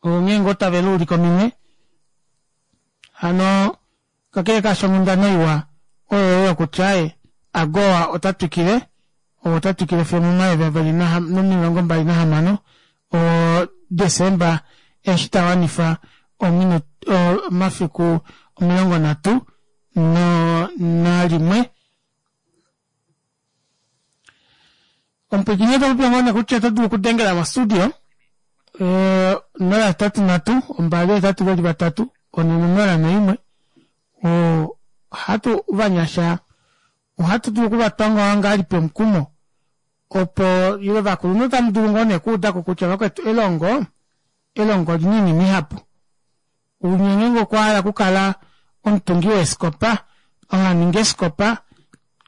onghee ngoo tave luulika ominwe hano Kakele kaasho onghundana iwa oyo oyo kutya ye, AGOA ota twikile, ota twikile fiyo omo 2026 o Desemba eshi ta wanifa omafiku 31. Omupwiikini ota popiwa ngoo nee kutya oto dulu okudengela mostudio 083 2 8 4 01. Ohatu ovanyasha ohatu dulu okuvatwa ngoo ngahelipi omukumo opo ile ovakulunhu otamu dulu ngoo nee okuuda ko kutya vakwetu elongo elongo olina oinima ihapu. Unye ngeenge okwa hala okukala omutungi weeskopa, oha ningi eeskopa,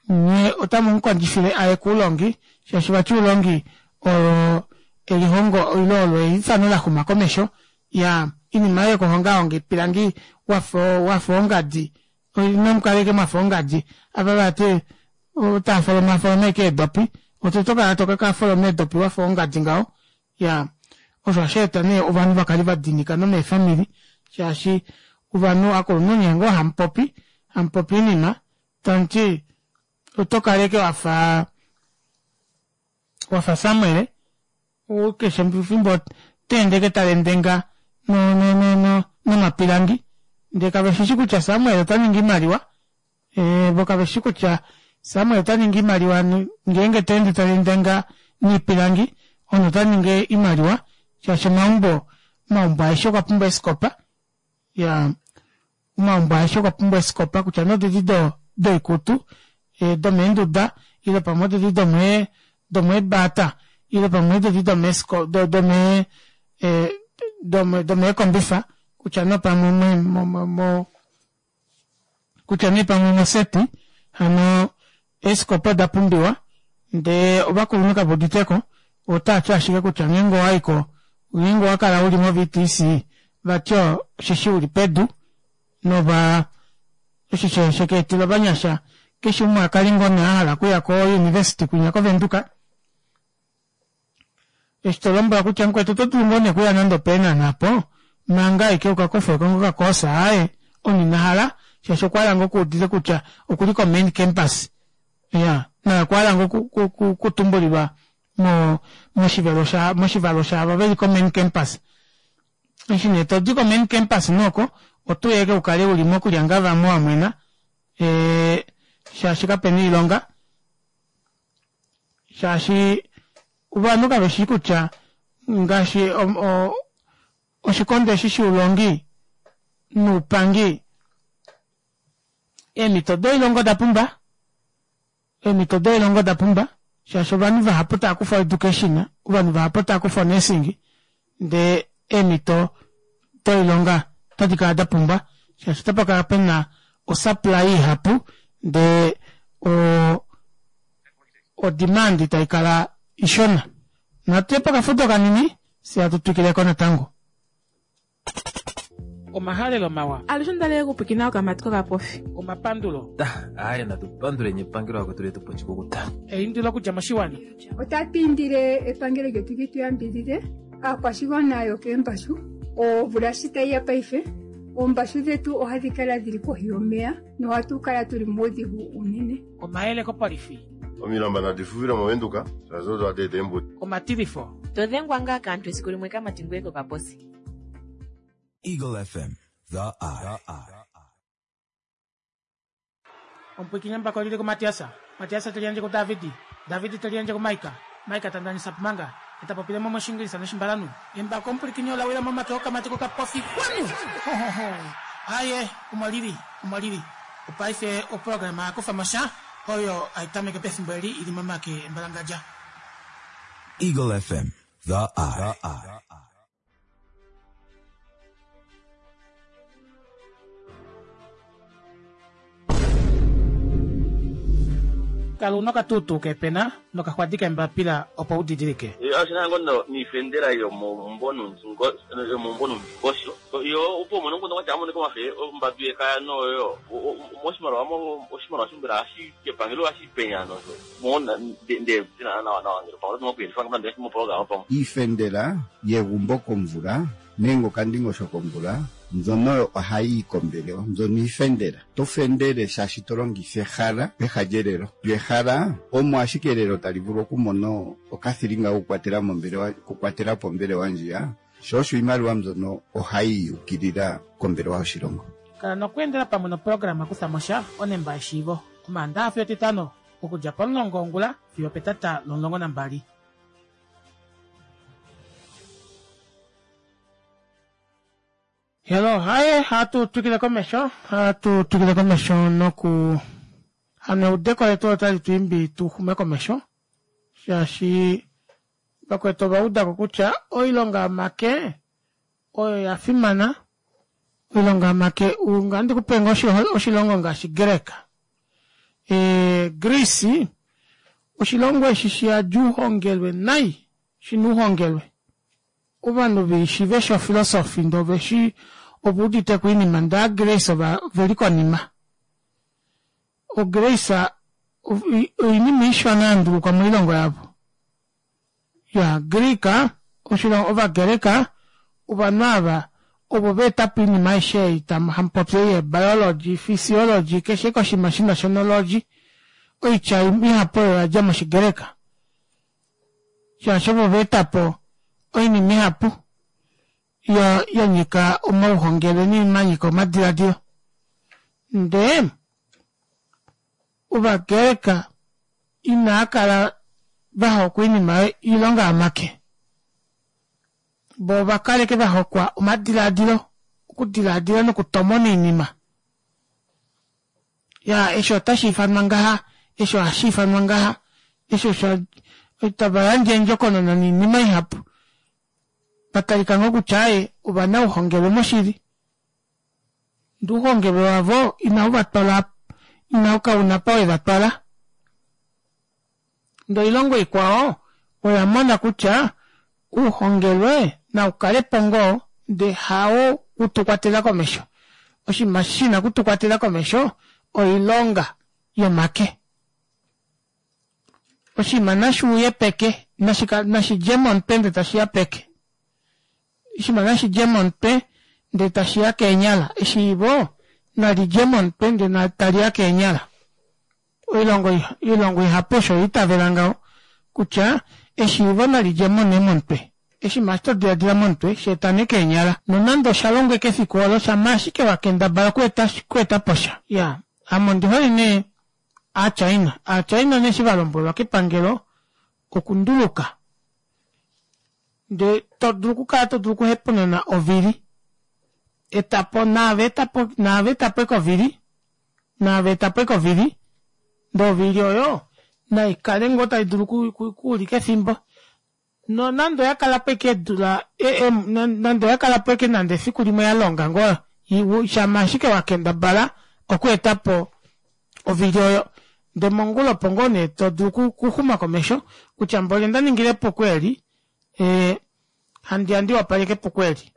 nye otamu mu kondjifile aye kuulongi, shaashi vati uulongi olo elihongo ile olo eifano la xuma komesho. Ya, inima oyo yokuhongahonga iipilangi wafa wafa ongadi, inamu kala ashike mwafa ongadi ava vati otava folomafoloma ashike eedopi, oto kala to ka foloma eedopi wafa ongadi ngaho. Ya, osho hashi eta nee ovanhu va kale va dinika nomeefamili shaashi ovanhu akulunhu nye ngoo hamu popi, hamu popi oinima tamu ti oto kala ashike wafa wafa Samuel keshe fimbo to ende ashike ta lendenga no no no no nomapilangi ndee kave shishi kutya Samuel ota ningi oimaliwa Eh, vo kave shi kutya Samuel ota ningi iimaliwa ngeenge ta ende ta lendenga niipilangi ono ota ningi iimaliwa shaashi omaumbo omaumbo aeshe okwa pumbwa eesikopa ya omaumbo aeshe okwa pumbwa eesikopa kutya nee odedi do doikutu eh, domeenduda ile pamwe odedi domee domeebaata ile pamwe odedi domeesiko do domee eh, dome domeekombifa kutya nee pamwe mo, mo, mo kutya nee pamwe omoseti hano eesikopa oda pumbiwa ndee ovakulunhu kave uditeko otaa ti ashike kutya ngeenge owaiko ngeenge owa kala uli moVTC vati osheshi uli pedu nova osho sheka etela ovanyasha keshe umwe a kale ngoo nee a hala okuya kouniversity kwinya koVenduka Eshi to lombwela kutya mukwetu oto dulu ngoo nee okuya nande opeenhana apo manga aike uka kofeko ngoo okakoosa aaye omunhu ina hala shaashi okwa hala ngoo okuudite kutya okuli ko main campus iya naye okwa hala ngoo okutumbulilwa mo moshivelo sha moshivalo shaavo veli ko main campus. Eshi nee todi ko main campus nooko oto uya ashike ukale uli mokulya vamwe wamwena ee shaashi kapena oilonga. Shaashi ovanhu kave shii kutya ngaashi oshikondo eshi shoulongi noupangi, eemhito doilonga oda pumba, eemhito doilonga oda pumba shaashi ovanhu vahapu tava kufa oeducation, ovanhu vahapu tava kufa onursing, ndee eemhito doilonga otadi kala da pumba shaashi otapa kala pena osupply ihapu ndee o odemand tai kala ishona. Natu ye pokafudo kanini fye hatu twikileko natango. Omahalelo mawa. Alushe ondalele okupwiikina okamati kokapofi. Omapandulo. Aaye natu panduleni epangelo vakwetu letu pa oshikukuta. Eindilo okudja moshiwana. Otatu indile epangelo lyetu li tu yambidhidhe aakwashigwana yokeembashu. Omvula shi tayi ya paife, oombashu dhetu ohadhi kala dhili kohi yomeya nohatu kala tuli muudhigu uunene. Omayele kopolifi. Omilamba nadi fufile mOvenduka shaashi odo hadi eta eembuto. Omatilifo. To dhengwa ngaa kaantu esiku limwe kamati ngoye kokaposi. Eagle FM, the eye. Omupwiikini embako lili kuMatias. Matias te liyandje kuDavid. David te liyandje kuMaika. Maika ta ndanisa pumanga. Ye ta popile mo mOshiingilisa nOshimbalanhu. Embako omupwilikini ola wila momake okamati kokapofi. Kwanu! Ho, ho, ho. Aye, omo lili. Omo lili. Opaife oprograma ya kufa mo sha, oyo hai tameke pefimbo eli i li momake embalangadja. Eagle FM, the eye. Kala una okatuutuu keepena nokaxwadi keembapila opo u didilike. Oshi na ngo niifendela yomomumvo nuundingosho yo opo umone omukundu gwa tya amonike omafe ombambi yekaya noyo moshimaliwa oshimaliwa shombela ohashi kepangelo ohashi penya nosho mo nde nawa nawa ngele pamwe oto okuyelifa nande moprograma pamwe. Iifendela yegumbo komvula nenge okandingosho komvula mbyono oyo ohayi yi kombelewa. Mbyono iifendela. To fendele shaashi to longitha ehala peha lyelelo. Lyo ehala omo ashike elelo tali vulu okumona okathilinga kokukwatela mombelewa, okukwatela po ombelewa ndjiya. Sho osho iimaliwa mbyono ohayi yukilila kombelewa yoshilongo. Kala nokweendela pamwe noprograma Kutha mo sha, Onemba yeshiivo, Omaandaha fiyo Etitano, okudja pomulongo wongula fiyo opetata lomulongo nambali. Hello, haye, hatu twikile komesho, hatu twikile komesho noku hano eudeko letu otali tu imbi tu xume komesho, shaashi vakwetu ova uda ko kutya oilonga yomake oyo ya fimana. Oilonga yomake ungandi kupe ngoo oshilongo ngaashi Greka. E, Greece oshilongo eshi shiyadi uhongelwe nai, shina uhongelwe. Ovanhu veshi veshi ofilosofi ndee oveshi ove udite ko oinima ndee aaGreece oveli konima. OGreece oinima ishona ya ndulukwa moilongo yavo. Ya Greek oshilongo Ovagreka ovanhu ava ovo va eta po oinima aishe ei tamu hamu popi ei yebiology, physiology keshe koshinima shina shonology oitya ihapu oyo oya dja mOshigreka. Shaashi ovo va eta po oinima ihapu ya ya nyika omauhongelwe noinima ya nyika omadiladilo. Ndee Ovagreka inaa kala va hokwa oinima oilonga yomake. Vo ova kaleke va hokwa omadiladilo, okudiladila nokutomona oinima. Ya, eshi otashi ifanwa ngaha, eshi ohashi ifanwa ngaha, eshi osho tava yandje endjokonona noinima ihapu. Va talika ngoo kutya aye ovanauhongelwe moshili. Ndee ouhongelwe wavo inau va twala, inau kauna apa we va twala. Ndee oilongo ikwao oya mona kutya ouhongelwe nau kale po ngoo ndee hao u tu kwatela komesho. Oshinima shi na oku tu kwatela komesho oilonga yomake. Oshinima nashi uye peke, nashi dje momutwe ndee tashi ya peke. Oshinima nashi dje momutwe ndee tashi ya keenyala. Eshiivo nali dje momutwe ndee tali ya keenyala. Oilongo oilongo ihapu osho ya itavela ngaho kutya eshiivo nali dje mo nee momutwe. Oshinima eshi to diladila momutwe shi eta nee keenyala. Nonande osha longwa eke efiku olo shamha ashike wa kendabala okueta okueta po sha. Iyaa, ame ondi hole nee Aachina. Aachina nee eshi va lombwelwa kepangelo okunduluka ndee to dulu okukala to dulu okuhepununa ovili etapo naave etapo naave etapo eke ovili naave etapo eke ovili ndee ovili oyo nai kale ngoo tai dulu okuulika efimbo nonande oya kala po eke eedula nande oya kala po eke nande efiku limwe ya longa ngoo shama ashike wa kendabala okueta po ovili oyo ndee mongula opo ngoo nee to dulu okuxuma komesho kutya mboli onda ningile epuko eli handi ya ndi wapaleke epuko eli.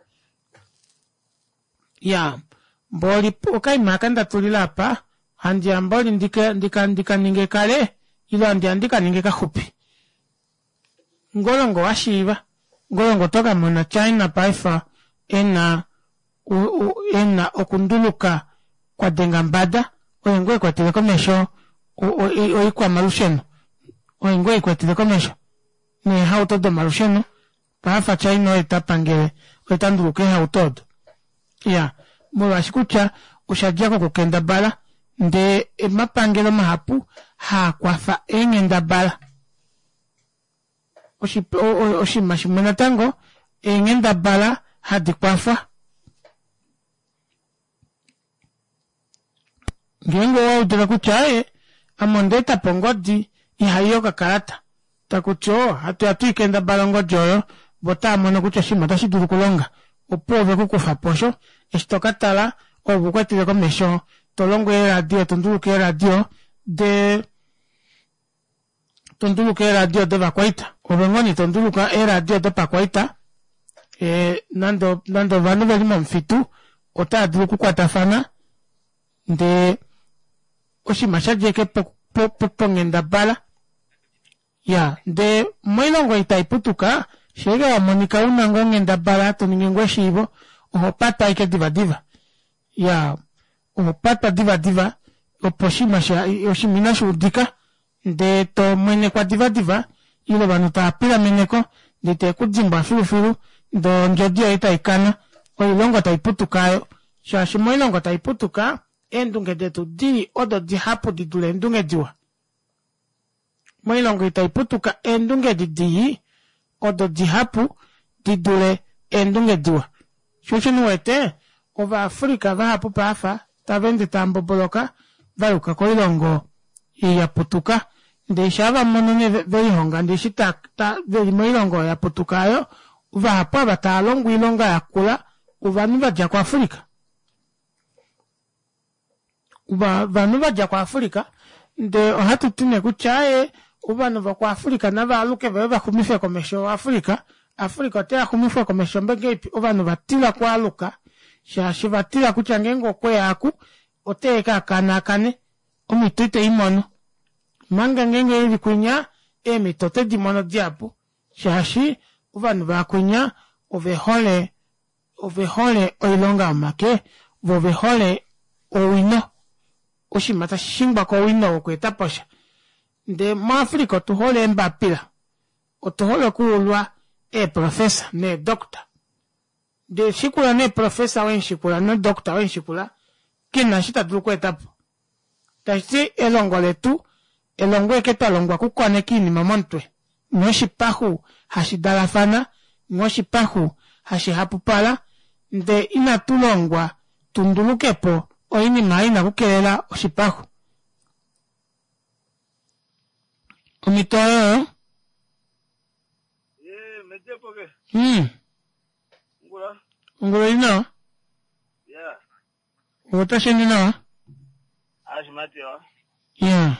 Ya mboli okaima aka nda tulila apa handi ya mboli ndika ndika ndika ninge kale ile handi ya ndika ninge kaxupi. Ngolongo wa shiiva ngolongo oto ka mona China paife ena ena okunduluka kwa denga mbada oye ngoo ekwatele komesho oikwamalusheno oye ngoo ekwatele komesho neehauto domalusheno paife China oye ta pangele oye ta nduluka eehauto odo. Ya molwaashi kutya osha dja kokukendabala ndee omapangelo mahapu haa kwafa eenghendabala. Oshinima shimwe natango eenghendabala hadi kwafwa. Ngeenge owa udile kutya ee ame onda eta po ongodi ihai okakalata taku ti oo hatu ya tuikendabala ongodi oyo vo otava mono kutya oshinima otashi dulu okulonga opuwo ove ku kufa po osho eshi to ka tala ove ukwatele komesho to longo eeradio to nduluka eeradio de to nduluka eeradio dovakwaita ove ngoo nee to nduluka eeradio dopakwaita e, nande nande ovanhu ve li momufitu otava dulu okukwatafana ndee oshinima sha dja eke ponghendabala ya ndee moilongo ei tai putuka sheeke wa monika una ngoo onghendabala to ningi ngoo eshiivo oho patwa ashike divadiva ya oho patwa divadiva opo oshinima oshinima inashi udika ndee to mwenekwa divadiva ile ovanhu tava pilameneko ndee teve ku dimbwa filufilu ndee ondjodi yoye tai kana oilongo tai putuka ayo shaashi moilongo tai putuka eendunge detu dii odo dihapu di dule eendunge diwa Moilongo itai putuka eendunge edi dii odo dihapu di dule eendunge diwa. Sho osho ni wete Ovaafrika vahapu paafa tava ende tava mboboloka va yuka koilongo ei ya putuka. Ndee shaa va mono nee ve lihonga ndee eshi ta, ta, ve li moilongo oyo ya putuka oyo, vahapu ava tava longo oilonga yakula ovanhu va dja kuAfrika. Ovanhu va dja kuAfrika ndee ohatu ti nee kutya aaye ovanhu vokuAfrika nava aluke vaye va xumife komesho Afrika. Afrika ote ya xumifwa komesho ngahelipi ovanhu va tila okualuka shaashi va tila kutya ngeenge okwe ya aku ote ka kanaakane omhito ite i mono. Omanga ngeenge e li kwinya eemhito ote di mono dihapu shaashi ovanhu vaakwinya ove hole Ove hole oilonga yomake, vo ove hole owino, oshinima tashi shingwa kowino wokweeta po sha. Ndee muAfrica otu hole eembapila, otu hole okuulwa eeprofesa needoctor. Ndee shikula nee profesa wemushikula nodoctor wemushikula, ke na eshi ta dulu okweeta po. Tashi ti elongo letu, elongo eke twa longwa okukoneka iinima momutwe. Nghee oshipaxu hashi dalafana, nghee oshipaxu hashi hapupala, ndee inatu longwa tu nduluke po oinima i na okukelela oshipaxu. Omhito oyo. Ongula oi li nawa? Otashi ende nawa? Ya.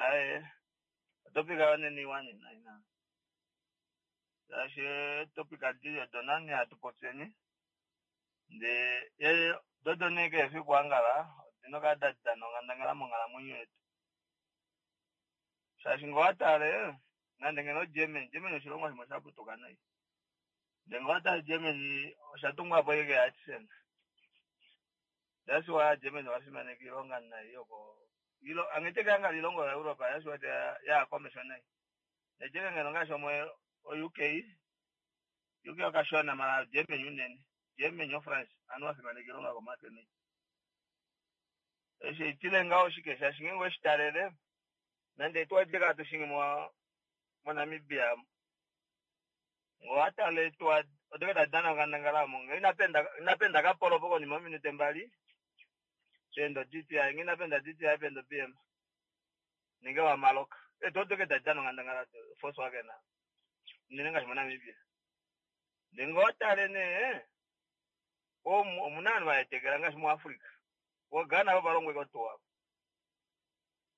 Aye, otopic yonene iwa nena ina. Shaashi etopic adi odo nani hatu popyeni. Ndee ye dodo nee kehe efiku angala odina okukala da dana onghandangala monghalamwenyo yetu. Shaashi ngee owa tale nande ngeno Germany, Germany oshilongo shimwe sha putuka nai. Ndee ngee owa tale Germany osha tungwa po ashike keeArtisan. That's why Germany ova fimaneka oilonga nai yoko ilo angete ke angala oilongo yaEuropa that's why ya komesho nai. Nejeke ngeno ngaashi omo o UK UK okashona mala Germany unene. Germany oFrance anu vafimaneka oilonga yokomake nai. Eshi itile ngaho oshike shaashi ngeenge oweshi talele nande etuwa edi hatu shingi mo moNamibia Ngee owa tale etuwa odo tadi dana onghandangala omo ngee ina penda kapolo po konima yominute mbali penda oDTI ngee ina penda DTI penda oBM nenge wa maloka eetuwa odo tadi dana onghandangala Volkswagen unene ngaashi moNamibia ndee ngee owa tale nee omuna ovanhu vahetekela ngaashi muAfrica vo Ghana vo valongwa ashike otuwa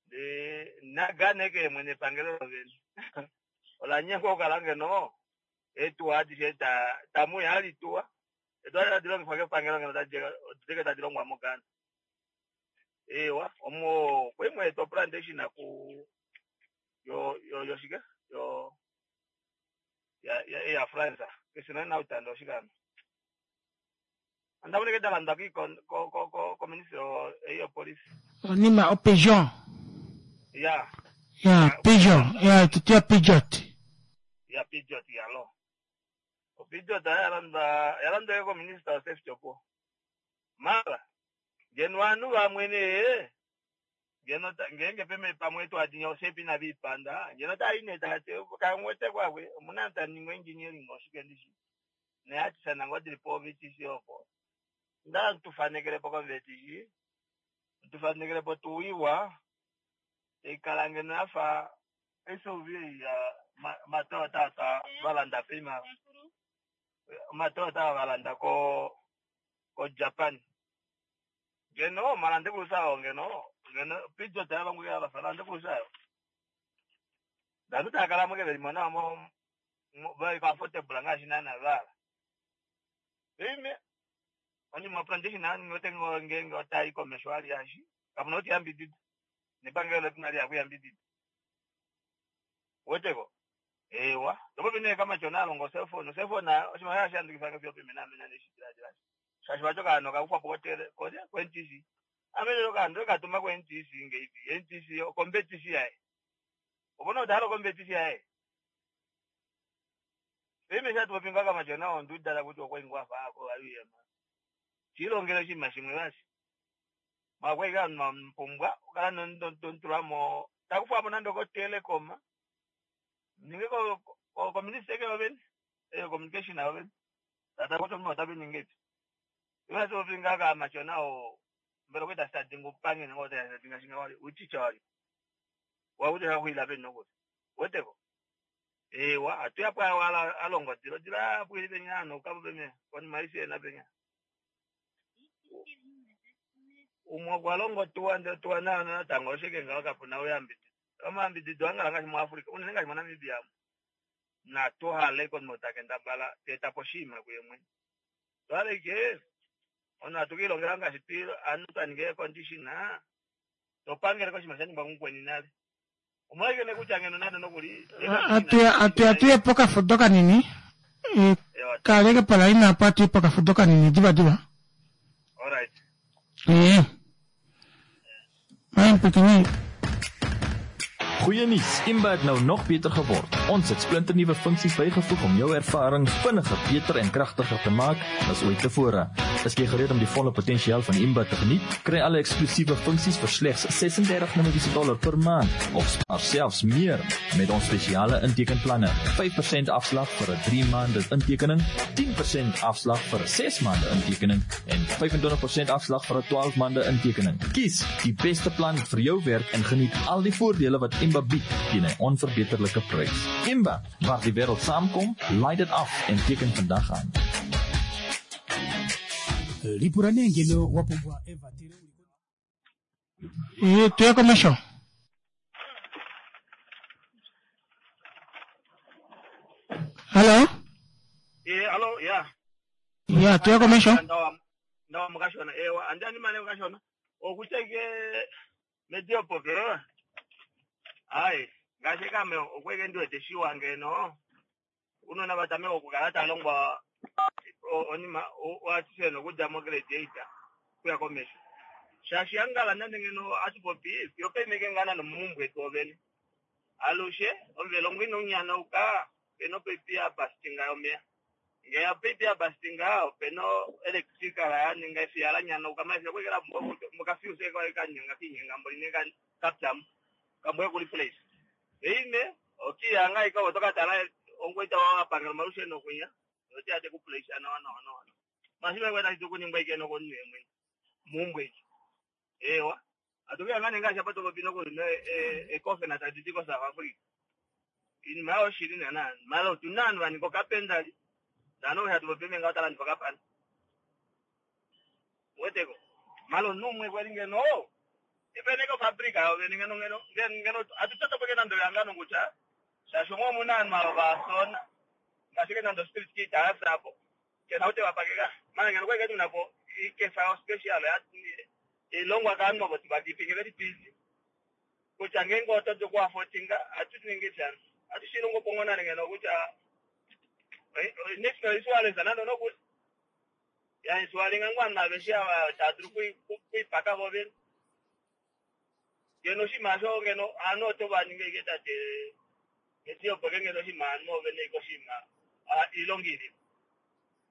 ndee naGhana eke mwene epangelo lovene ola nyengwa okukala ngeno eetuwa adishe tamuya hali tuwa. Etuwa tadi longifwa kepangelo ngeno odike tadi longwa moGhana. Ewa, omo kwemwe to plantation ku yo yo yo shike yo ya ya ya France. Kesina na utando oshikano. Andaboneke dalanda ki ko ko ko ko ministry yo police. Onima o pigeon. Ya. Ya pigeon, ya tutia pijot. Ya pijot ya lo. O pijot ya landa ya landa ko minister of safety opo. Mara ngeno vanhu vamwene ngeno ngenge peme pamwe twadinya osepi na vipanda ngeno taine tate kamwete kwakwe omuna taningo engineering oshike ndishi neatisana ngodiripo VTC opo nda tufanekelepo ko VTC tufanekelepo tuwiwa ikala ngeno yafa SUV ya Matoyota ta valanda pima Matoyota valanda ko ko Japan ngeno malande kulusayo ngeno ngeno pijo ta vangu ya vasalande kulusayo ndanu takala muke veli mona mo vai comfortable ngaashi nana vala ime oni ma plantation nani ngote ngenge otai komesho ali yashi kamuna oti yambidida nepangelo letinali yakuyambidida weteko ewa topo pine kama chona longo cellphone cellphone oshima yashandikifanga fyo pimena mena neshidira shashi vacho kano kakufa potere koje ko NTC amene kando katuma ko NTC ngeipi NTC competition yaye ubona udalo competition yaye ime shatopinga kama chona ondudala kuti okwaingwa fako aliyema chilongelo chima chimwe basi makweka mpumbwa ukala ntontulamo takufapo nandoko telecom ninge ko ko minister ke oven eh communication oven tata ko tomo tabe ninge iwe so pinga ka machona o mbele kweta starting upange ngo ta starting shinga wali uchicha wali wa kuti hakuila pe noko weteko ewa atuya pa wala alongo dilo dila pwili penyano kapo peme koni maisi na penya umwe kwalongo tuwa tuwa na na tango shike ngawa kapuna uyambidi amambidi dwanga ngati mu Africa unene ngati mu Namibia na tohale kon motakenda bala teta poshima kuyemwe twale ke ona tukilongela ngati tiro anu tanige condition topangele ko shima shani bangukweni nale umweke ne kuchangeno nado nokuli atuya pokafudo kanini kaleke palaina apo atuye pokafudo kanini diva diva. Alright. Mijn Goeie nuus, Imba het nou nog beter geword. Ons het splinternuwe funksies bygevoeg om jou ervaring vinniger, beter en kragtiger te maak as ooit tevore. Is jy gereed om die volle potensiaal van Imba te geniet? Kry alle eksklusiewe funksies vir slegs $36 per maand of spaar selfs meer met ons spesiale intekenplanne. 5% afslag vir 'n 3 maande intekening, 10% afslag vir 'n 6 maande intekening en 25% afslag vir 'n 12 maande intekening. Kies die beste plan vir jou werk en geniet al die voordele wat Imba bied teen 'n onverbeterlike prys. Imba, waar die wêreld saamkom, laai dit af en teken vandag aan. Lipura nengeno wapumbwa Eva Tire. Tuye komesho. Hello? Hello, yeah. Yeah, tuye komesho. Ndawa mukashona ewa andani mane mukashona okucheke medio popero. Ai, ngashe kame okweke ndiwete shiwa ngeno. Unona batame okukala talongwa onima watiseno kudya mo grade 8 kuya komesho. Shashi angala nande ngeno atipopi yopemeke ngana nomumbwe tobene. Alushe omvelo ngwino nyana uka peno pepia bastinga yomea. Ngeya pepia bastinga peno electrical ya ninga ifyala nyana uka maisha kwekela mukafuse kwa kanyanga kinyenga mboline kan kaptam kambwe kuli place. Ime okiyanga ikawo tokatala ongweta wa pangela marushe nokunya. Oti ku place ana wana wana wana. Masiba kweta chitukuningwa ikeno konwe mwe. Mumbwe. Ewa. Atuke ngane ngasha pato bino ko ne e kofe na taditi ko South Africa. Ini mao shirini na malo tunanu ani ko kapenda. Dano ya tupe menga tala ni kapanda. Weteko. Malo numwe kwalinge no. Ipene ko fabrica o ngeno ngeno ngeno atutata peke nando yangano ngucha. Shashongo munanu malo basona. Ngashike nando spirit kita asapo. Kena ou te va pakeka. Mara ngeno okwali tuna po ikefa yo special ya ilongwa kaanhu ovo vadipi ngeve li busy. Kutya ngeenge oto dulu okuafotinga ohatu ningi shano. Ohatu shi longo po ngoo nale ngeno kutya national insurance nande onokuli. Ya insualinga ngoo ovanhu aveshe ava tava dulu okuipaka vo vene. Ngeno oshinima osho ngeno ovanhu oto va ningi ashike tate eti opo ke ngeno oshinima ovanhu ove na ashike oshinima oilonga ili.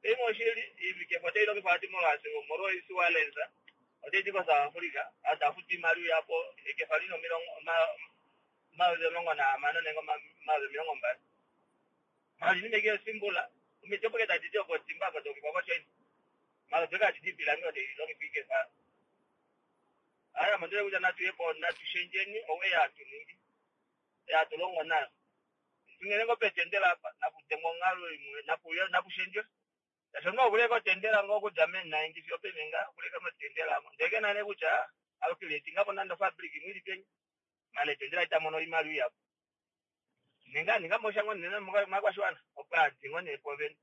Paife oshili iikefa otai longifwa vati molwaashi omolwa oinsurance otai di koSouth Africa ovanhu tava futu oimaliwa ihapu ekefa lina 16 nenge 20. Mara oinima ashike yosimbula omiti opo ashike tadi di opo timba apa dolongifwa koChina mara odo ashike hadi di oipilangi odo hai longifwa ikefa. Aaye ame ondihole kutya natu ye po natu shendjeni ou ei hatu ningi ei hatu longo nayo. Unene ngoo petendela apa napu dengwe onghalo imwe napu napu shendjwe. Shaashi omunhu oku leka otendela ngoo okudja mee 90 fiyo openi ngaa oku leka motendela omo. Ndele kena nee kutya alukile nga po nande ofabrika imwe ili peni mara etendela ita mono oimaliwa ihapu. Nenge a ninga mo sha ngoo nene movakwashiwana opo a di ngoo nee pwo vene.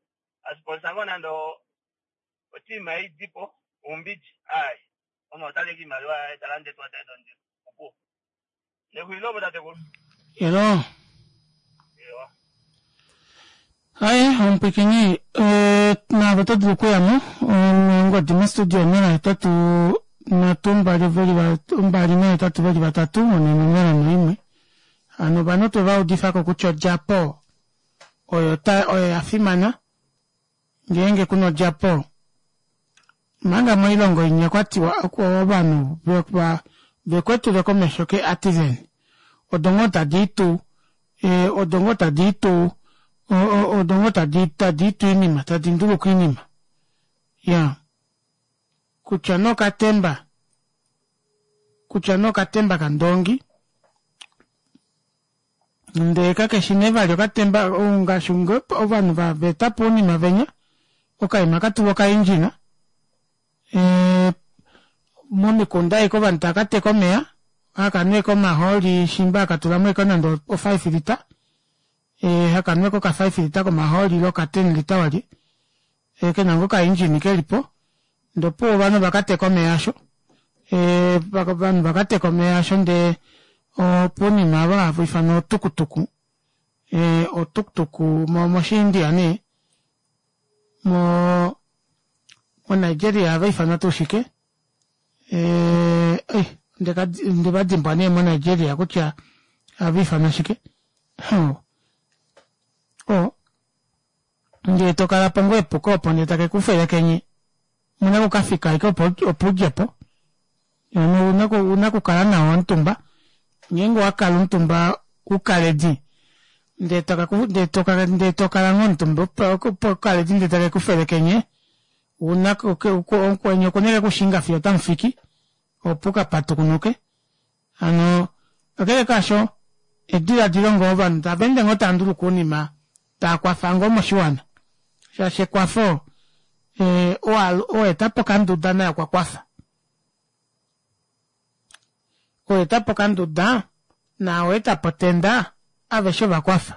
A sponsor ngoo nande oteam ei di po oumbidji aai omunhu ota li ashike oimaliwa yaye ta lande eetuwa daye dondilo opuwo. Nexulilo opo tatekulu. Elo. Ewa. Aye, omupwikini eh, naave oto dulu okuyamo ongodi mostudio 083 2 2 2 3 4 0 1. Hano ovanhu otwe va udifa ko kutya odjapo oyo ta oyo ya fimana ngeenge kuna odjapo manga moilongo inya kwa tiwa ovanhu vekwetule komesho ke artisan odo ngoo tadi itu eh, odo ngoo tadi itu odo ngoo tadi tadi itu iinima tadi nduluka iinima ya kutya nokatemba kutya nokatemba kandongi ndee kakeshi nee vali okatemba ngaashi ovanhu va eta po ounima venya okaima ka tulwa okaindjina e, momikunda aike ovanhu tava ka teka omeya haka nweke omahooli shimba haka tula mo eke nande o 5 lita e, haka nweke oka 5 lita komahooli ile oka 10 lita walye e, kena ngoo okaindjini keli po ndee opuwo ovanhu va ka teka omeya asho e, ovanhu va ka teka omeya asho ndee opunima ava hava ifanwa otukutuku e, otukutuku moshiindia nee mo moNigeria ohava ifanwa tuu shike e, ei nde va dimbwa nee moNigeria kutya ohava ifanwa shike o ndee to kala po ngoo epuko opo ndee take ku felekenye muna kukafika ashike opo opo udje po una kukala nawa omutumba ngeenge owakala omutumba ukaledi ndee ndee tokala ngoo omutumba okaledi ndee take ku felekenye una okwenye okuneke kushinga fiyo otamufiki opo ukapatukunuke Hano kakele kaasho, ediladilo ngoo ovanhu tava ende ngoo tava nduluka ounima taa kwafa ngoo moshiwana shaashi ekwafo eh, owa eta po okanduda naye okwa kwafa. Owa eta po okanduda naa owa eta po otenda aveshe ova kwafa.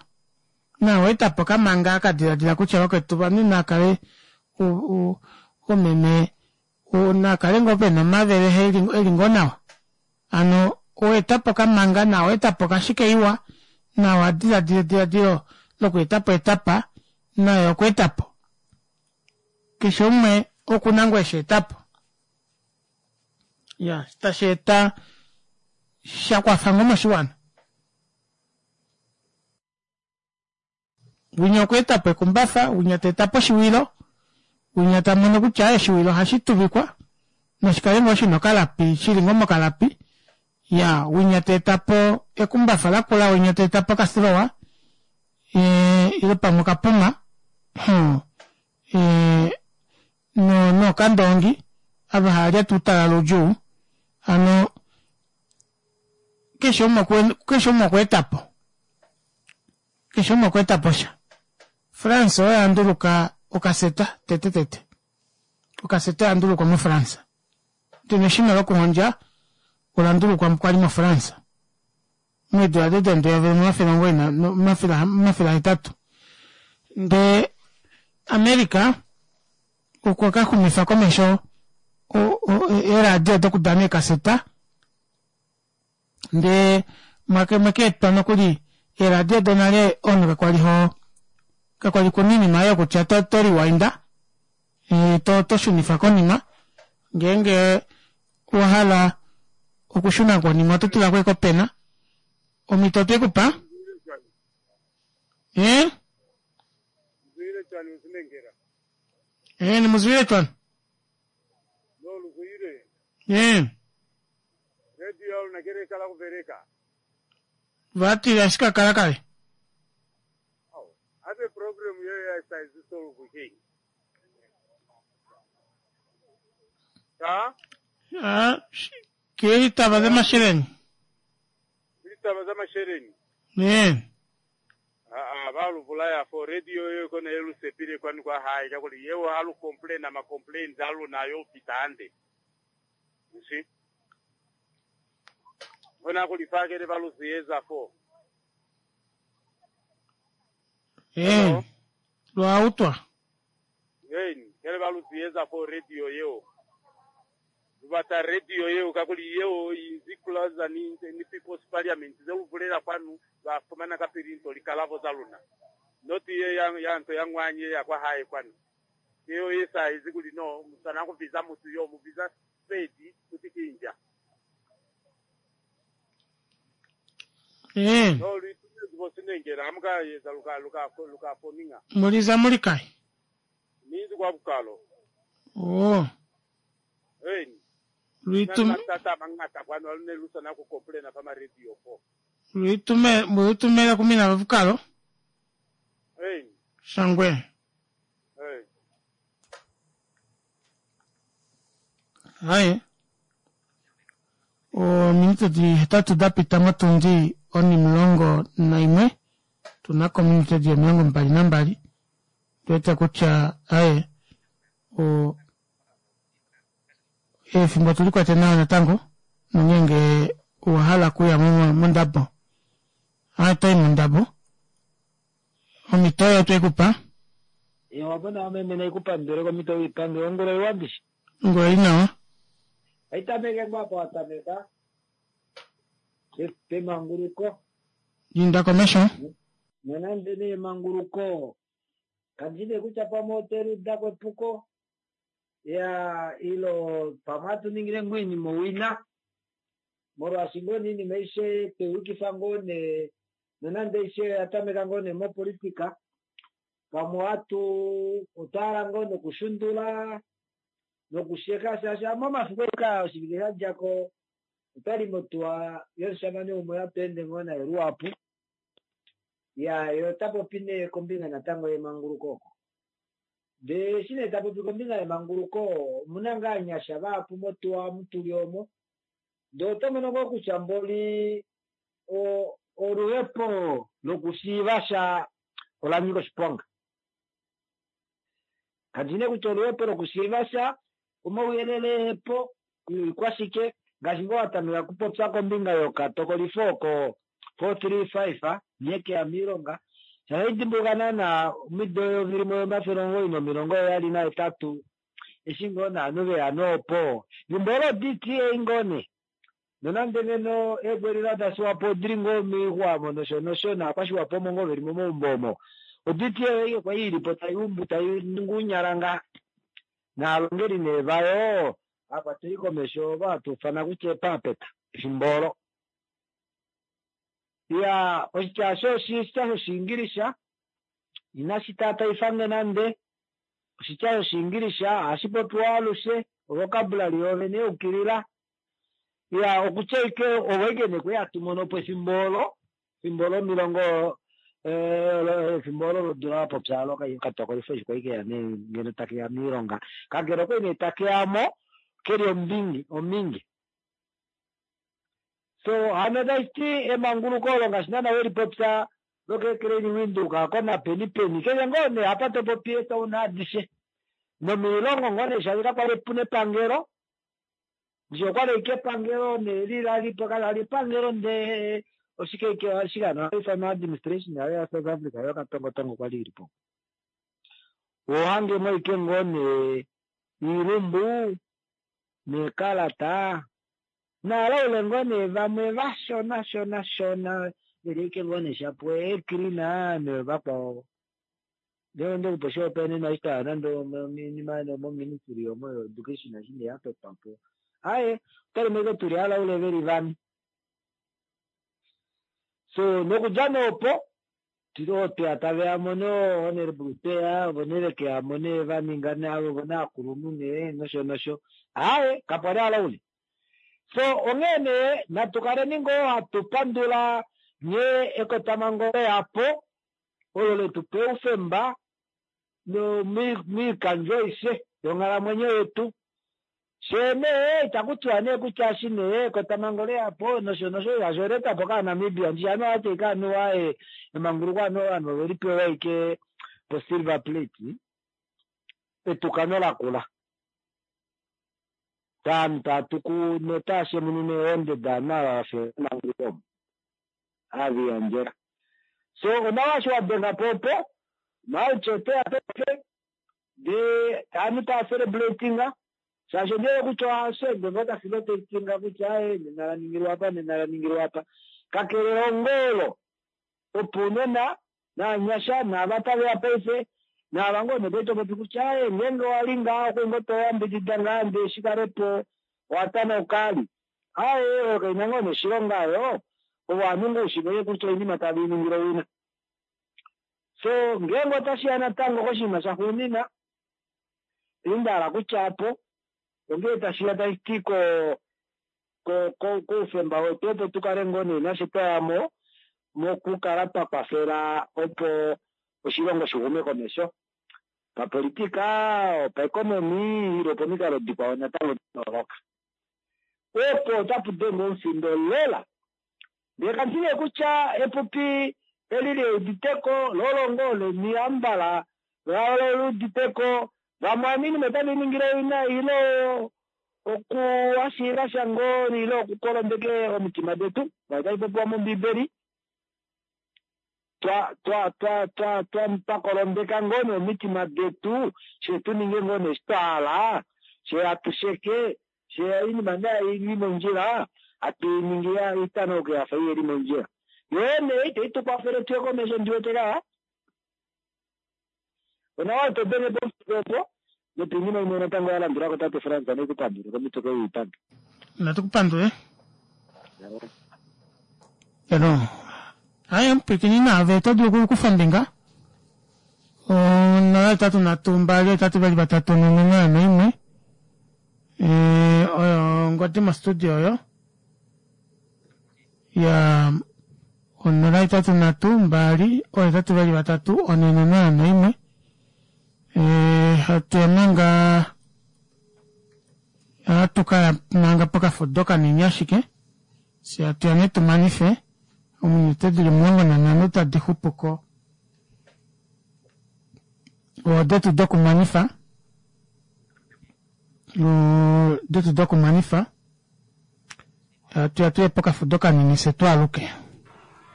Naa owa eta po okamanga aka diladila kutya vakwetu ovanhu naa kale omeme na kale ngoo pena omavele eli ngoo nawa hano oweetapo okamanga na oweetapo okashike iwa na owa diladila ediladilo loku etapo etapa naye okwa etapo keshe umwe okuna ngoo eshi etapo ya tashi eta sha kwafa ngoo moshiwana. Winya okwa eta po ekumbafa, winya ta eta po oshiwilo, winya ta mono kutya aye oshiwilo ohashi tuvikwa noshikale ngoo shina okalapi shili ngoo mokalapi. Ya winya ta eta po ekumbafa lakula, winya ta eta po okasilowa e, ile pamwe okapuma hmm, e, no nokandoongi ava hava lyata uutalala udjuu hano keshe umwe keshe umwe okwa eta po Keshe umwe okwa eta po sha. France oyo ya nduluka okaseta tete tete. Okaseta oya ndulukwa moFrance. Ndele eshina lokuhondja ola ndulukwa kwali moFrance. Meedula dedendu 1880. Ndee America. Okwa ka xumifa komesho eeradio dokudana eekaseta ndee mwake mwekeetwa nokuli eeradio donale omunhu kakwali ho kakwali kuna oinima oyo kutya to to rewind to to shunifa konima ngeenge owa hala okushuna konima oto tula ko ashike opena omhito otwe ku pa eh eh nimuzwile cwani eh vati ashike kala kale Ah, ke litaba tsa masheleng Litaba za masheleni. Eh. Aa, ba lu bulaya fo radio yeo kona ye lu sepile kwani kwa hae, kakuli yeo ha lu complaina ma complaints a luna a yo fita hande. You see? Kona kuli fa kele ba lu ziyeza fo. Eh. Lwa utwa. Eeni, kele ba lu ziyeza fo radio yeo. Lu bata radio yeo kakuli yeo inzi closer ni, ni People's Parliament. Ze lu bulela kwanu, ba fumana kapili nto likalabo za luna. Not ye ya, ya nto ya ngwanyi ye ya kwa hae kwanu. Ki yeo ye sa ezi kuli no, mu swana ku biza mutu yo, mu biza spade kuti ki nja. Eh. No, lu itumezi bo sinengela, ha mu ka eza lu ka, lu ka, lu ka foninga. Muliza muli kai? Ni inzi kwa bukalo. Oh. Eeni. Luitum- Kuna ni matata a mañata kwanu a lu ne lu swana ku komplena fa ma radio fo. Luitume, luitumela ku mina ba bukalo. Eeni. Shangwe. Eeni. Haye. Ominute di hetatu da pita motundi onimulongo naimwe. Tuna ko ominute di 22. Tuwete kutya aye o efimbo otuli kwete nawa natango nongeenge owa hala okuya mondabo aye toyi mondabo omhito oyo otwe kupa. Wapona meme naikupandule komhito uipange ongula iwa ndishi. Ongula ili nawa. Aitameke ngoo apa watameka pemanguluko. Inda komesho. Nonande nee emanguluko kandi nee kutya pamwe ote liuda ko epuko ya ilo pamwe hatu ningile ngoo oinima owina molwaashi ngoo nee oinima aishe tweyukifa ngoo nee nonande aishe oya tameka ngoo nee mopolitika pamwe ohatu otwa hala ngoo nokushundula nokusheka shaashi momafiku eka oshivike sha dja ko otwali motuwa yomushamane umwe hatu ende ngoo naye luhapu ya ye ota popi nee kombinga natango yemanguluko oko ndee eshi nee ta popi kombinga yemanguluko omuna ngaa ovanyasha vahapu motuwa omu tuli omo ndee oto mono ngoo kutya mboli oluhepo lokushiiva sha ola nyika oshiponga. Kandi nee kutya oluhepo lokushiiva sha omauyelele ehepo oikwashike ngaashi ngoo watameka okupopya kombinga yokatokolifo oko 435 nghee keya moilonga shaashi ohaidimbuluka naana omido 1978 eshi ngoo naanhu veya noopo efimbo olo DTA ngoo nee nonande ngeno eegwelila daSwapo odili ngoo moixwa omo nosho nosho naakwashiwapo omo ngoo veli momaumbo omo oDTA oyo kwali ilipo taiumbu tainingi ounyala naalongeli nee vayo aakwateli komesho ovo hatu ufana kutya eepapeta efimbo olo. Ya oshitya osho oshitya shOshiingilisha inashi taataifange nande. Oshitya shOshiingilisha ohashi popiwa alushe, ovocabulary yoovene ya yukilila. Ya okutya ashike ovo ashike nee kwali hatu mono po efimbo olo, efimbo lomilongo efimbo olo lodula wa popya olo okatokolifo eshi kwali keya nee ngeno take ya moilonga. Kakele okwali nee take ya mo keli ombingi ominge. So hano tashi ti emanguluko olo ngaashi naana we lipopya lokeekeleni Windhoek ako napeni peni keshe ngoo nee apa to popi eetown adishe nomoilongo ngoo nee shaashi kakwali puna epangelo ndishi okwali ashike epangelo nee li lalipo kalali epangelo ndee oshike ike oshike hano ohali ifanwa administration yayo ya South Africa yokatongotongo kwali ilipo ohohangemo ashike ngoo nee. Iilumbu neekalata naalaule ngoo nee vamwe vashona shona shona veli ashike ngoo nee shapo eecleaner novakwao. Ndele onde kupa oshihopaenenwa eshi twaya nande ominima moministry omo yoeducation eshi nee yatotwa po. Aaye otwali mo ashike tuli alaule veli vane. So nokudja nee opo oo tweya taveya mo nee honourable tweya ovo nee vekeyamo nee vaninga nee ovo nee aakulunhu nee nosho nosho. Aaye kapwali alaule. So onghee nee natu kaleni ngoo hatu pandula nghee ekotamhango leyapo olo letupa oufemba moikandjo aishe yonghalamwenyo yetu. Shee nee itaku tiwa nee kutya eshi nee ekotamhango leyapo nosho nosho shaashi oleetwapo kaaNamibia ndishi ovanhu ohava ti ashike anuwa emanguluko anuwa ovanhu oveli pewa ashike po silver plate etukano lakula. Ovanhu tava tuku notava shemununa eehonde dovanhu ava vafya emanguluko omo ava veliyandjela. So onawa eshi wadenga po opo March oteya paife ndee ovanhu tava celebratinga shaashi ondiwete kutya ohashi ende ngoo tashi rotatinga kutya aaye nena la ningilwa apa nena la ningilwa apa. Kakele elongo olo opo unena naanyasha naava taveya paife naava ngoo nee kwali topopi kutya aaye ngeenge owali ngaha okwali ngoo toyambidida ngaa ndee shikalepo owatanauka ali. Aaye oyo kaina ngoo nee oshilonga oyo ovanhu ngoo ushivele kutya oinima tave iningile owina. So ngeenge otashiya natango koshinima shaxuunina eshi ndahala kutya apo ongee tashiya tashiti ko koufemba wetu opo tukale ngoo nee nashe twayamo mokukala twa kwafela opo oshilongo shixume komesho papolitika, opaeconomy ile opomikalo dikwao natango dayooloka. Opo otapu denge omufindo lela. Ndee kandi nee kutya epupi eli leuditeko lolo ngoo leni ambala leuditeko vamwe oinima otave ningile owina ile okuhashiiva sha ngoo ile okukolondeke omitima detu otayi popiwa mombiibeli twa twa twa twa twa twakolondeka ngoo nee omitima detu she tu ninge ngoo nee eshi twa hala she hatu sheke she oinima nee ili mondjila hatu iningi itanauke yafa iheli mondjila. Yoo nee itayi tu kwafele tuye komesho ndiwete kaya. Onawa to denge pomufika opo nopiinima imwe natango ya landulako tate Frans nekupandule komitoka yoipando. Natukupandule. Elo. Aye mpwikini naave oto dulu okukufa ombinga. 0 3 2 8 2 3 4 0 1. Oyo ongodi mostudio oyo. Ya 0 8 3 2 8 2 3 4 0 1. Hatu ya manga ohatu kaya manga pokafudo kanini ashike fye hatu ya nee tumanife ominute dili 15 tadi xupuko odetu dokumanifa odetu dokumanifa hatu ya tuye pokafudo kanini fye twaaluke.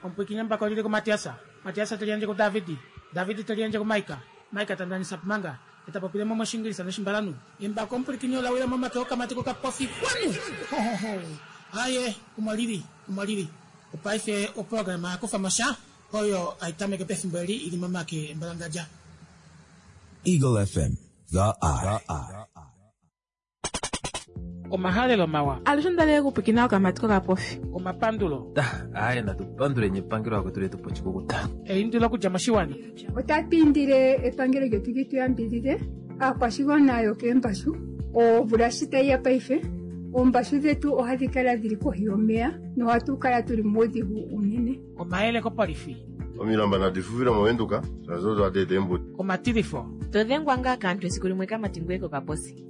Omupwiikini embako lili kuMatias, Matias te liyandje kuDavid, David te liyandje kuMaika, Maika ta ndanisa Manga, e ta popile mo mOshiingilisa nOshimbalanhu. Embako omupwilikini ola wila momake okamati kokapofi kwanu! Hohoho! Aaye, omo lili, omo lili. Opaife oprograma ya kufa mo sha oyo hai tameke pefimbo eli i li momake embalangadja. Eagle FM, the eye. Omahalelo mawa. Alushe onda li okupwikina okamati kokapofi. Omapandulo. Aaye natu panduleni epangelo lakwetu letu pa oshikukuta. Eindilo okudja moshiwana. Otatu indile epangelo lyetu li tu yambidhidhe aakwashigwana yokeembashu. Omvula shi tayi ya paife, oombashu dhetu ohadhi kala dhili kohi yomeya nohatu kala tuli muudhigu uunene. Omayele kopolifi. Omilamba nadi fufile mOvenduka shaashi odo hadi eta eembuto. Omatilifo. To dhengwa ngaa kaantu esiku limwe kamati ngoye kokaposi.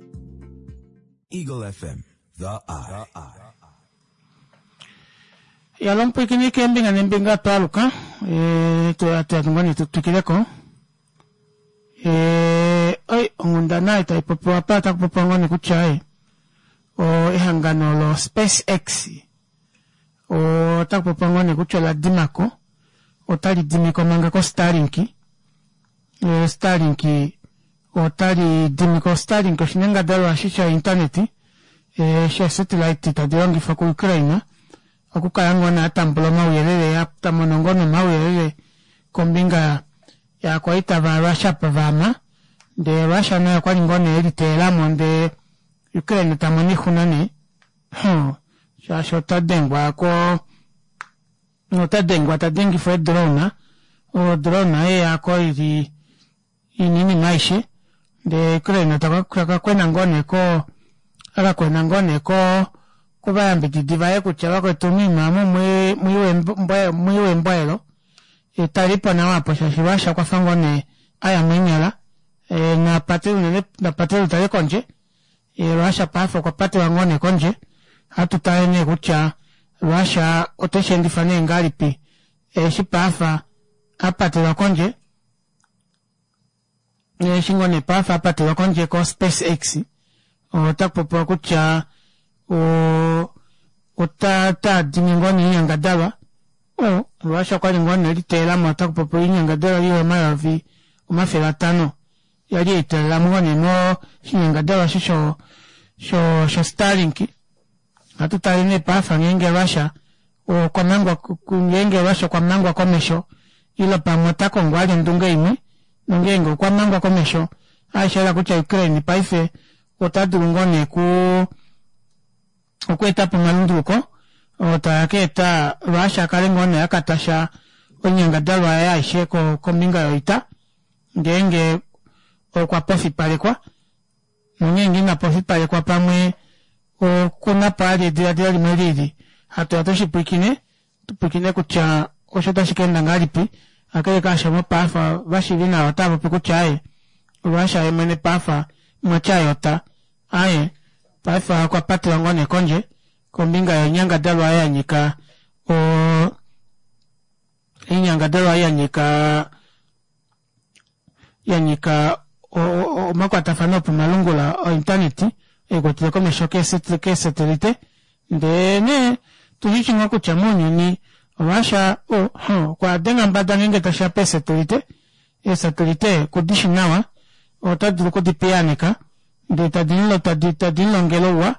Eagle FM, the eye. Yalo omupwiikini keembinga neembinga twaaluka e, twatu ngoo nee tu twikileko e, oi onghundana ei tai popiwa apa otaku popiwa ngoo nee kutya e, o ehangano lo SpaceX otaku popiwa ngoo nee kutya ola dimako otali dimiko manga ko Starlink e, Starlink Otali dimi ko Starlink oshinyangadalwa eshi sho internet shee satellite tadi longifwa ku Ukraine okukala ngoo nee atambula omauyelele tamono ngoo nee omauyelele kombinga yaakwaita va Russia apa vaama ndee Russia naye okwali ngoo nee eliteelamo ndee Ukraine tamono oixuna nee huh shaashi ota dengwa ko ota dengwa tadengifwa eedrone odrone yeya ili ina oinima aishe ndee Ukraine takakwena ngoo nee ko akakwena ngoo nee ko kovayambididi vaye kutya vakwetu moima omu mwiiwe embwaelo talipo nawa apo shaashi Russia okwafa ngoo nee aya meenyala napatele unene napatele utale kondje Russia paife okwa patelwa ngoo nee kondje hatu tale nee kutya Russia oteshendifa nee ngahelipi eshi paife apatelwa kondje eshi ngoo nee paife apatelwa kondje ko SpaceX otakupopiwa kutya ota dimi ngoo nee oinyangadalwa Russia okwali ngoo nee eliteelamo otakupopiwa oinyangadalwa ili 500,000 yali eiteelelamo ngoo nee moshinyangadalwa eshi sho Starlink. Ohatu tale nee paife ngeenge Russia okwa mangwa ngeenge Russia okwa mangwa komesho ile pamwe ota kongo vali ondunge imwe nongeenge okwa mangwa komesho ohashi kutya Ukraine paife ota dulu ngoo nee okweetapo omalunduluko oo taa ka eta Russia akale ngoo nee akatasha oinyangadalwa yaye aishe kombinga yoita ngeenge okwa pofipalekwa nongeenge ina pofipalekwa pamwe okunapo ali ediladilo limwe lili hatu tushipwiikine tupwiikine kutya osho tashi kaenda ngahelipi akele kaasho mopaife vashiivi nawa otavapopi kutya aaye Russia ye mwene paife mwatyayota aaye paife okwa patelwa ngoo nee kondje kombinga yoinyangadalwa yanyika oinyangadalwa yanyika yanyika omakwatafano opomalungula ointaneti ekwatele komesho keesatelite ndee nee tushishi ngoo kutya mounyuni Russia okwa denga mbada ngeenge tashiya peesatelite eesatelite kudishi nawa ota dulu okudipiyaaneka ndee tadi mulongele ouwa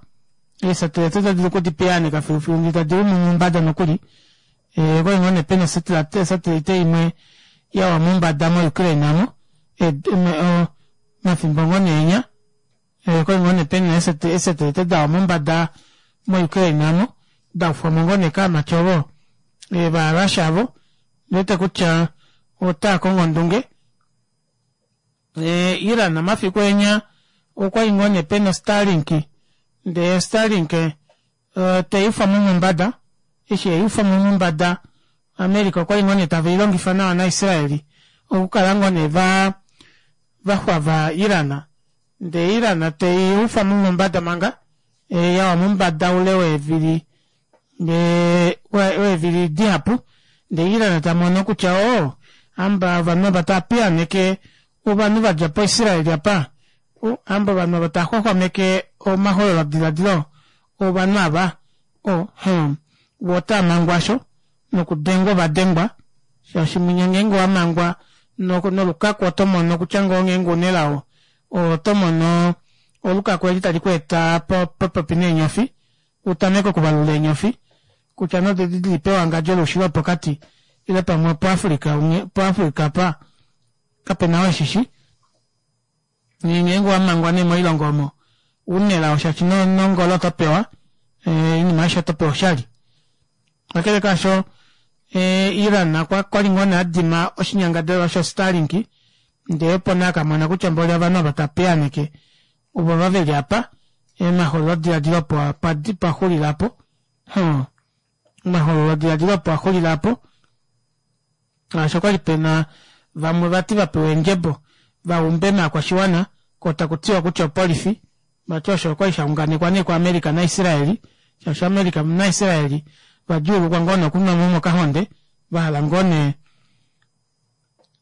eesatelite ota dulu okudipiyaaneka filufilu ndee tadi lumu mombada nokuli okwali ngoo nee pena osatelite imwe yawa mombada mo Ukraine amo omafimbo ngoo nee enya okwali ngoo nee pena eesatelite dawa mombada mo Ukraine amo daufwamo ngoo nee kaamati ovo va Russia avo ndiwete kutya otaa kongo ondunge Iran omafiku enya okwali ngoo nee pena Starlink ndee Starlink teyufwamo mombada eshi eyufwamo mombada America okwali ngoo nee taveilongifa nawa naIsraeli okukala ngoo nee vaxwava Iran ndee Iran teyufwamo mombada manga yawa mombada oule weevili weevili dihapu ndee Iran tamono kutya oo hamba ovanhu ava taapiyaaneke ovanhu vadja po Israel apa hamba ovanhu ava taaxwaxwameke omahololodiladilo ovanhu ava voo otaamangwa asho nokudengwa ovadengwa shaashi mwinya ngeenge owamangwa nolukaku oto mono kutya ngoo ngeenge unelao oto mono olukaku eli tali kweeta popepi neenyofi utameke okuvalula eenyofi kutya nodedi dili pewangadjo loushilo wopokati ile pamwe opoAfrica poAfrica apa kapena oo eshishi ngeenge owamangwa nee moilongo omo unelao shaashi nongolo oto pewa oinima aishe oto pewa oshali kakele kaasho Iran okwali ngoo nee adima oshinyangadalwa sho Starlink ndee opo nee akamona kutya mboli ovanhu ava tapiyaaneke ovo veli apa omahololodiladilo opo paxulila apo omahololodiladilo opo axulila apo shaashi okwali pena vamwe vati vapewa eendjebo vaumbe maakwashiwana ko takutiwa kutya opolifi vati osho okwali shaunganekwa nee kuAmerica naIsraeli shaashi America naIsraeli vadjuulukwa ngoo nee okunwamo mokahonde vahala ngoo nee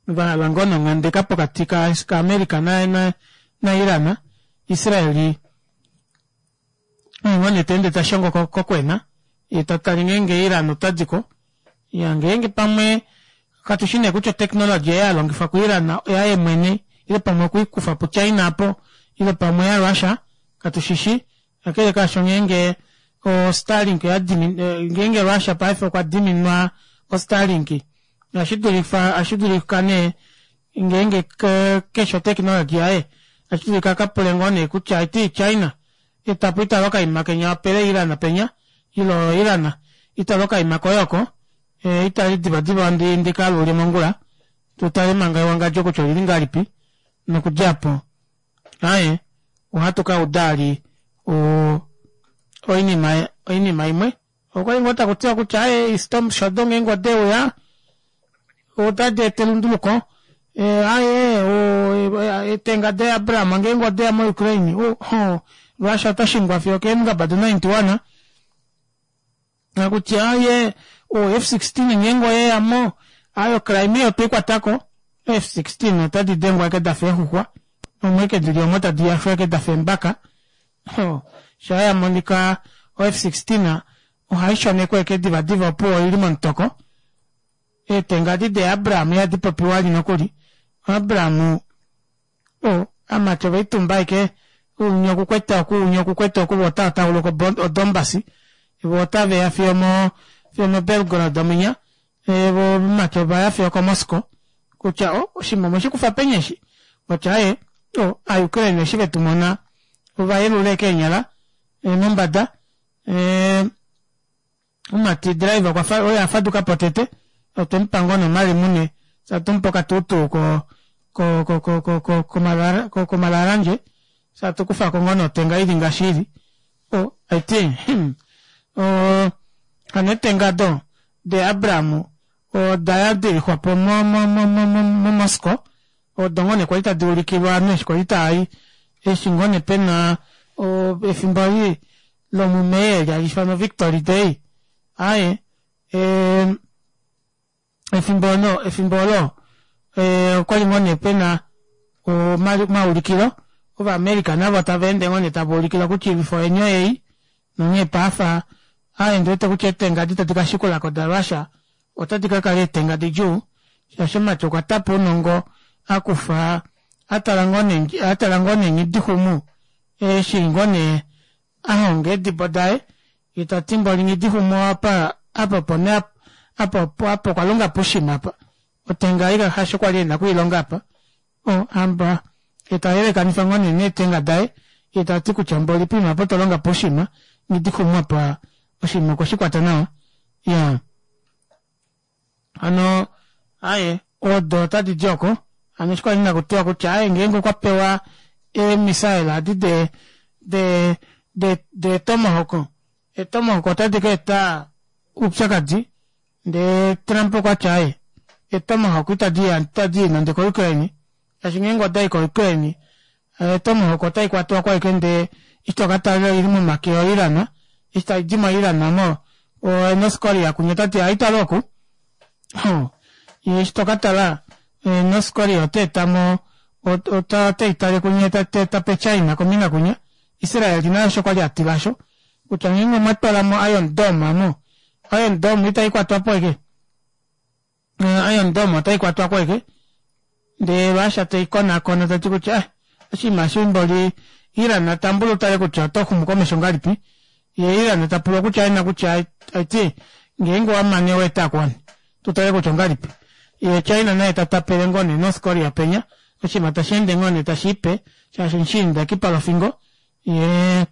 vahala ngoo nee onghandeka pokati kaAmerica naIran Israeli ngoo nee teende tashongo kokwena yee tatale ngeenge Iran otadiko ya ngeenge pamwe katushi nee kutya oteknology ei yalongifwa ku Iran oyaye mwene Ile pamwe okwe i kufa puChina apo, ile pamwe yaRussia, katu shi shi. Kakele kaasho ngeenge o Starlink oya dimin, ngeenge Russia paife okwa diminwa o Starlink, ohashi dulifa, ohashi dulika nee ngeenge keshe oteknologi yaye, ohashi dulika a ka pule ngoo nee kutya iti China, etapo itala okaima kenya wapele Iran penya, ilo Iran itala okaima koye oko, itali divadiva ndi, ndi ka lule mongula, tu tale manga ewangadjo kutya olili ngahelipi, nokudja apo aye ohatu ka uda ali o, oinima, oinima imwe. Okwali ngoo taku tiwa kutya aye storm shadow ngeenge ode uya otadi eta elunduluko aye etenga de Abraham ngeenge odeya mo Ukraine Russia ota shingwa fiyo keemungaba do 91 nakutya aye o F16 ngeenge oyeya mo aye o Crimea otwei kwatako F16 otadi dengwa eke dafa eexuxwa omwe eke dili omo tadi yashwa eke dafa eembaka Sha ya monika o F-16 ohai shonekwa eke divadiva opuwo oili momutoko. Eetenga edi de Abraham ihadi popiwa ali nokuli. Abraham o, amati oveitumba aike unya okukwete oku unya okukwete oku vo otava tauluka o Donbas vo otaveya fiyo mo fiyo mo Belgorod ominya vo ovamati ovaya fiyo ko Moscow kutya o oshinima omweshi kufa peni eshi otya aye o a Ukraine eshi vetu mona ova yelula eke eenyala mombada omumati driver okwa fa oye a faduka po tete otwe mu pa ngoo nomalemune fye atu mu pe okatuutuu ko ko ko ko ko ko ko komalalanje fye atu kufa ko ngoo notenga ili ngaashi ili o aiti hmm o hano etenga do de Abraham oda ya dilixwa po mo mo mo mo mo mo Moscow odo ngoo nee kwali tadi ulikilwa ovanhu eshi kwali taai eshi ngoo nee pena o efimbo eli lomuMei eli hali ifanwa Victory Day aaye e, efimbo olo efimbo olo e, okwali ngoo nee pena omaulikilo Ovaamerica navo tava ende ngoo nee tava ulikilwa kutya oilwifo yeni oyei nonghee paafa aaye ndi wete kutya eetenga edi tadi ka shikula ko daRussia otadi ka kala eetenga didjuu shaashi omumati okwa tapa ounongo a kufa a tala ngoo nee a tala ngoo nee Nghidixumu eshi ngoo nee a honga eedibo daye ye ta ti mboli Nghidixumu apa apa opo nee apa opo apa okwa longa pushima apa otenga ei hasho kwali ena okwiilonga apa o hamba ye ta yelekanifa ngoo nee neetenga daye ye ta ti kutya mboli poima apa otwa longa pushima Nghidixumu apa oshinima okwe shi kwata nawa ya hano aye odo otadi di oko hano eshi kwali nakutiwa kutya aye ngeenge okwa pewa eemisaela adi de de de de tomahawk etomahawk otadi ka eta oupyakadi ndee Trump okwa tya aye etomahawk itadi ya itadi i nande koUkraine shaashi ngeenge odai koUkraine etomahawk otai kwatwa ko ashike ndee eshi toka tala oili momake oIran eshi tai di moIran mo oNorth Korea kunya otati aitale oku eshi toka tala North Korea ota etamo ota itale kunya ta pe China kombinga kunya Israel naye osho kwali atila osho kutya ngeenge omwa twalamo Iron Dome amo Iron Dome itai kwatwa po eke Iron Dome otai kwatwa ko eke ndee Russia tei konakona tati kutya eh, oshinima eshi mboli Iran tambula utale kutya oto xumu komesho ngahelipi ye Iran ta pulwa kutya ena kutya aiti ngeenge wa mane wa eta kuwani tu tale kutya ongahelipi ye China naye ta tapele ngoo nee North Korea penya oshinima tashi ende ngoo nee tashi ipe shaashi mushiinda ekipa lofingo ye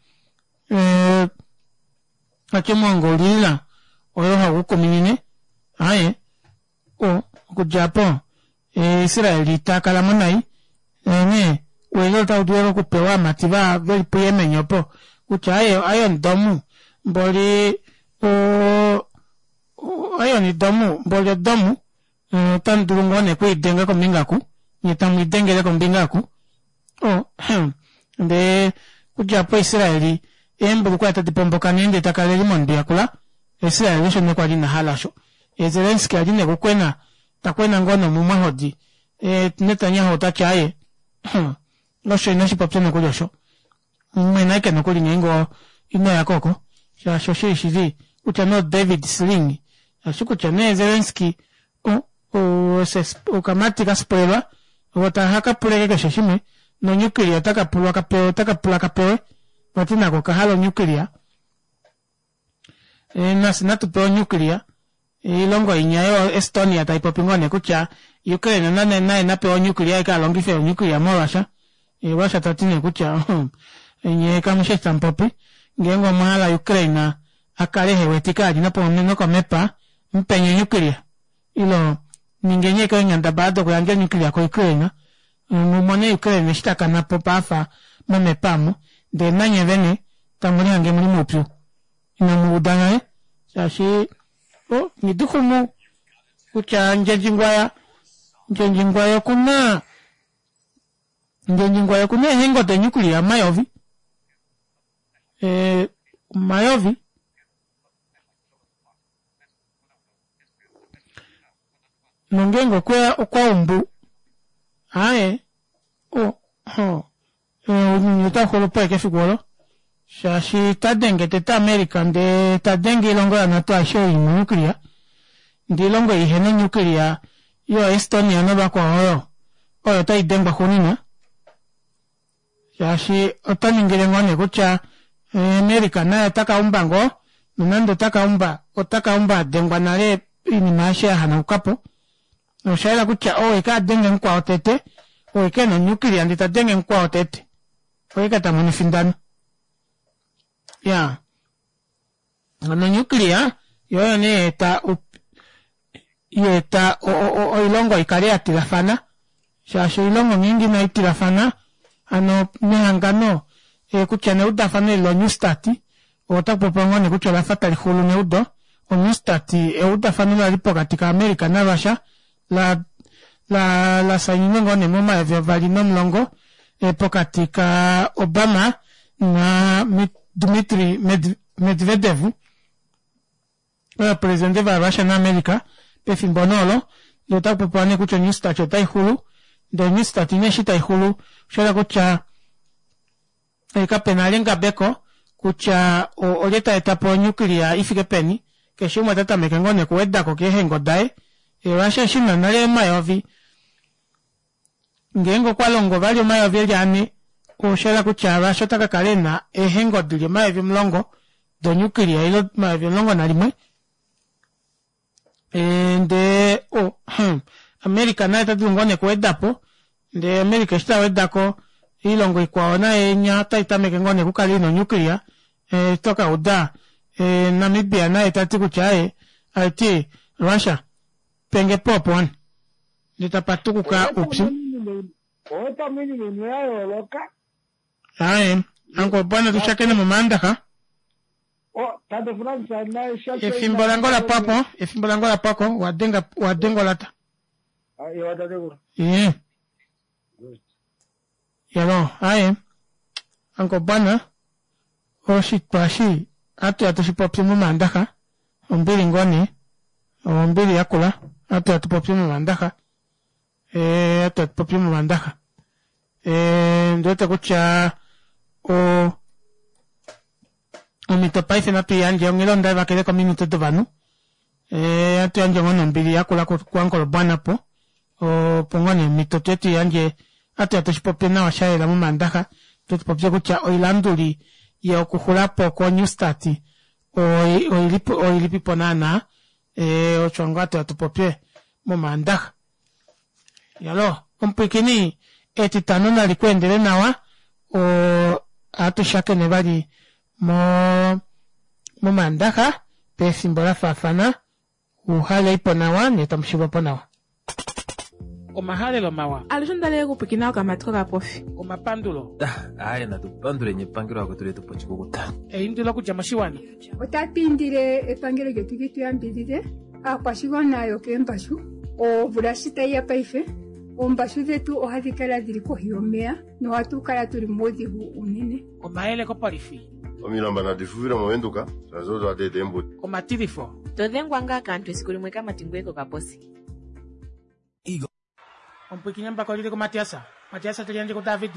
eh, ati omwongo ulilila oyo hagu kuminine aye o okudja po Israel ta kala mo nai onghee ouyelele otau dulu okupewa aamati va veli puYemen opo kutya aye Iron Dome mboli o Iron Dome mboli odomu otamu dulu ngoo nee okwiidenga kombinga oku nye tamu idengele kombinga oku o ndee okudja opo Israel eembulukweya tadi pomboka nee ndee ta kala eli mondwi yakula Israel osho nee kwali ina hala osho ye Zelensky ali nee kukwena ta kwena ngoo nomumwahodi Netanyahu ota ti aaye osho inashi popya nokuli osho mwena aike nokuli ngeenge ino ya ko oko shaashi oshili shili kutya nee oDavid Sling shaashi kutya nee Zelensky okamati ka spoilwa. Ovo taha ka puleke keshe shimwe nonyukiliya otaka pulwa ka pewe otaka pula ka pewe vati nako okahala onyukiliya e, nafye natu pewe onyukiliya oilongo inya yo Estonia tai popi ngoo nee kutya Ukraine nane naye napewa onyukiliya eke alongife onyukiliya moRussia e, Russia ta ti nee kutya nye kamushi eshi tamu popi ngeenge omwa hala Ukraine a kale hewetike ali nokomepa mupeni onyukiliya ilo ningeni eke eenghendabala dokuyandja onyukiliya koUkraine mu mone Ukraine eshi ta kana po paafa momepa omu ndee nanye vene tamu lihange muli moupyu inamu uda nale shaashi o nghiduxumu kutya Ndjendjingwaya Ndjendjingwaya okuna Ndjendjingwaya okuna eehengo donyukiliya omayovi e, omayovi nongeenge okwe okwa umbu aye o ho ounyuni otau xulu po ashike efiku olo shaashi ta denge tete America ndee ta denge oilongo yaNato aishe oyo ina onuclear ndee oilongo ei ihena onuclear yo Estonia novakwao oyo oyo tai dengwa xuuninwa shaashi ota ningile ngoo nee kutya eh, America naye ota ka umba ngoo nonande ota ka umba ota ka umba a dengwa nale oinima aishe ya hanauka po osha yela kutya ou eke a denge mukwao tete ou eke ena onyukiliya ndee ta denge mukwao tete oye ka ta mono efindano ya hano onyukiliya yo oyo nee yaeta yaeta oilongo ikale ya tilafana shaashi oilongo ngeenge inai tilafana hano nehangano eh, kutya neudafano eli lonew start otaku popiwa ngoo nee kutya olafa tali xulu neudo onew start eudafano lali pokati kaAmerica naRussia la la la sainine ngoo nee momayovi 2010 eh, pokati ka Obama na Dmitry Medvedev ovapresidente vaRussia naAmerica pefimbo nee olo ndee otaku popiwa nee kutya onew start otai xulu ndee onew start nee eshi tai xulu osha kutya eh, kape na lengabeko kutya olye ta eta po onyukiliya i fike peni keshe umwe ota tameke ngoo nekuwedako keehengo daye Russia eshi na nale omayovi ngeenge okwa longo vali omayovi eli ane osha yela kutya Russia ota ka kala ena eehengo dili 10,000 donyukiliya ile 11,000 e, ndee o America naye ota dulu ngoo nekuweda po ndee America eshi ta weda ko oilongo ikwao naye nya otai tameke ngoo nekukala ina onyukiliya e, to ka uda e, Namibia naye ta ti kutya aye aiti Russia penge po opo wani ndee tapa tukuka upyu Owe iinima imwe ya yooloka. Aye, anko bwana tushakene momaandaxa. Oh, tate Frans naye shasha Efimbo lange ola pwa po, efimbo lange ola pwa ko, wa denga wa denga olata. Ah, ewa tatekulu. Ye. Yalo, aye. Anko bwana oshitwa eshi ohatu ya tushi popye momaandaxa. Ombili ngoo nee. Ombili yakula. Ohatu ya tu popye momaandaxa. Eh, ohatu ya tu popye momaandaxa. Eh, ndi wete kutya o omhito paife natu i yandje onghela onda vakele kominute dovanhu eh, hatu yandje ngoo nombili yakula kuankolobwana po opo ngoo nee omhito tuye tu yandje hatu ya tushi popye nawa sha yela momaandaxa tu popye kutya oilanduli yokuxula po ko new start oilipipo naanaa eh, osho ngoo hatu ya tu popye momaandaxa Yalo, omupwiikini, Etitano nali ku endele nawa. O, ohatu shakene vali mo, mOmaandaxa, pefimbo la faafana. Uhaleipo nawa, nye tamu shivwa po nawa. Omahalelo mawa. Alushe onda li okupwikina okamati kokapofi. Omapandulo. Aaye natu panduleni epangelo lakwetu letu po oshikukuta. Eindilo okudja moshiwana. Otatu indile epangelo lyetu li tu yambidhidhe Aakwashigwana yokeembashu, omvula shi tayi ya paife, oombashu dhetu ohadhi kala dhili kohi yomeya nohatu kala tuli muudhigu uunene. Omayele kopolifi. Omilamba nadi fufile mOvenduka, shaashi odo hadi eta eembuto. Omatilifo. To dhengwa ngaa kaantu esiku limwe kamati ngoye kokaposi. Omupwiikini embako lili kuMatias, Matias te liyandje kuDavid,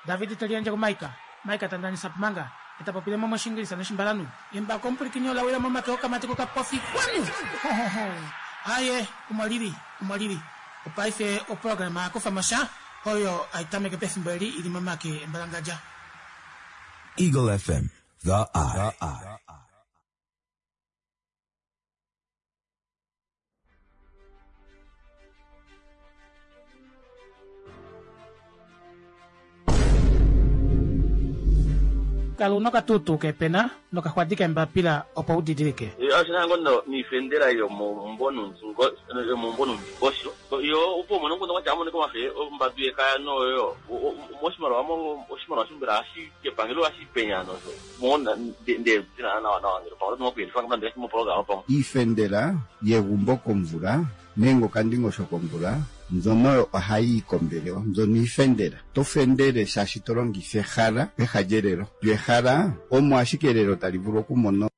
David te liyandje kuMaika, Maika ta ndanisa Pumanga, e ta popile mo mOshiingilisa nOshimbalanhu. Embako omupwilikini ola wila momake okamati kokapofi kwanu! Ho-ho-ho! Aaye, omo lili, omo lili. Opaife oprograma ya kufa mo sha. oyo hai tameke pefimbo eli i li momake embalangadja. Eagle FM, the eye. Kala una okatuutuu kepena nokaxwadi kembapila opo u didilike. Osho niifendela yomombonundingosho yo opo umone omukundu gwatya amonike omafe ombadu yekaya noyo moshimaliwa oshimaliwa shombela hashi kepangelo hashi penya nosho Iifendela yegumbo komvula nenge okandingosho komvula mbyono oyo ohayi yi kombelewa. Mbyono iifendela. Oto fendele shaashi to longitha ehala peha lyelelo. Lyo ehala omo ashike elelo tali vulu okumona.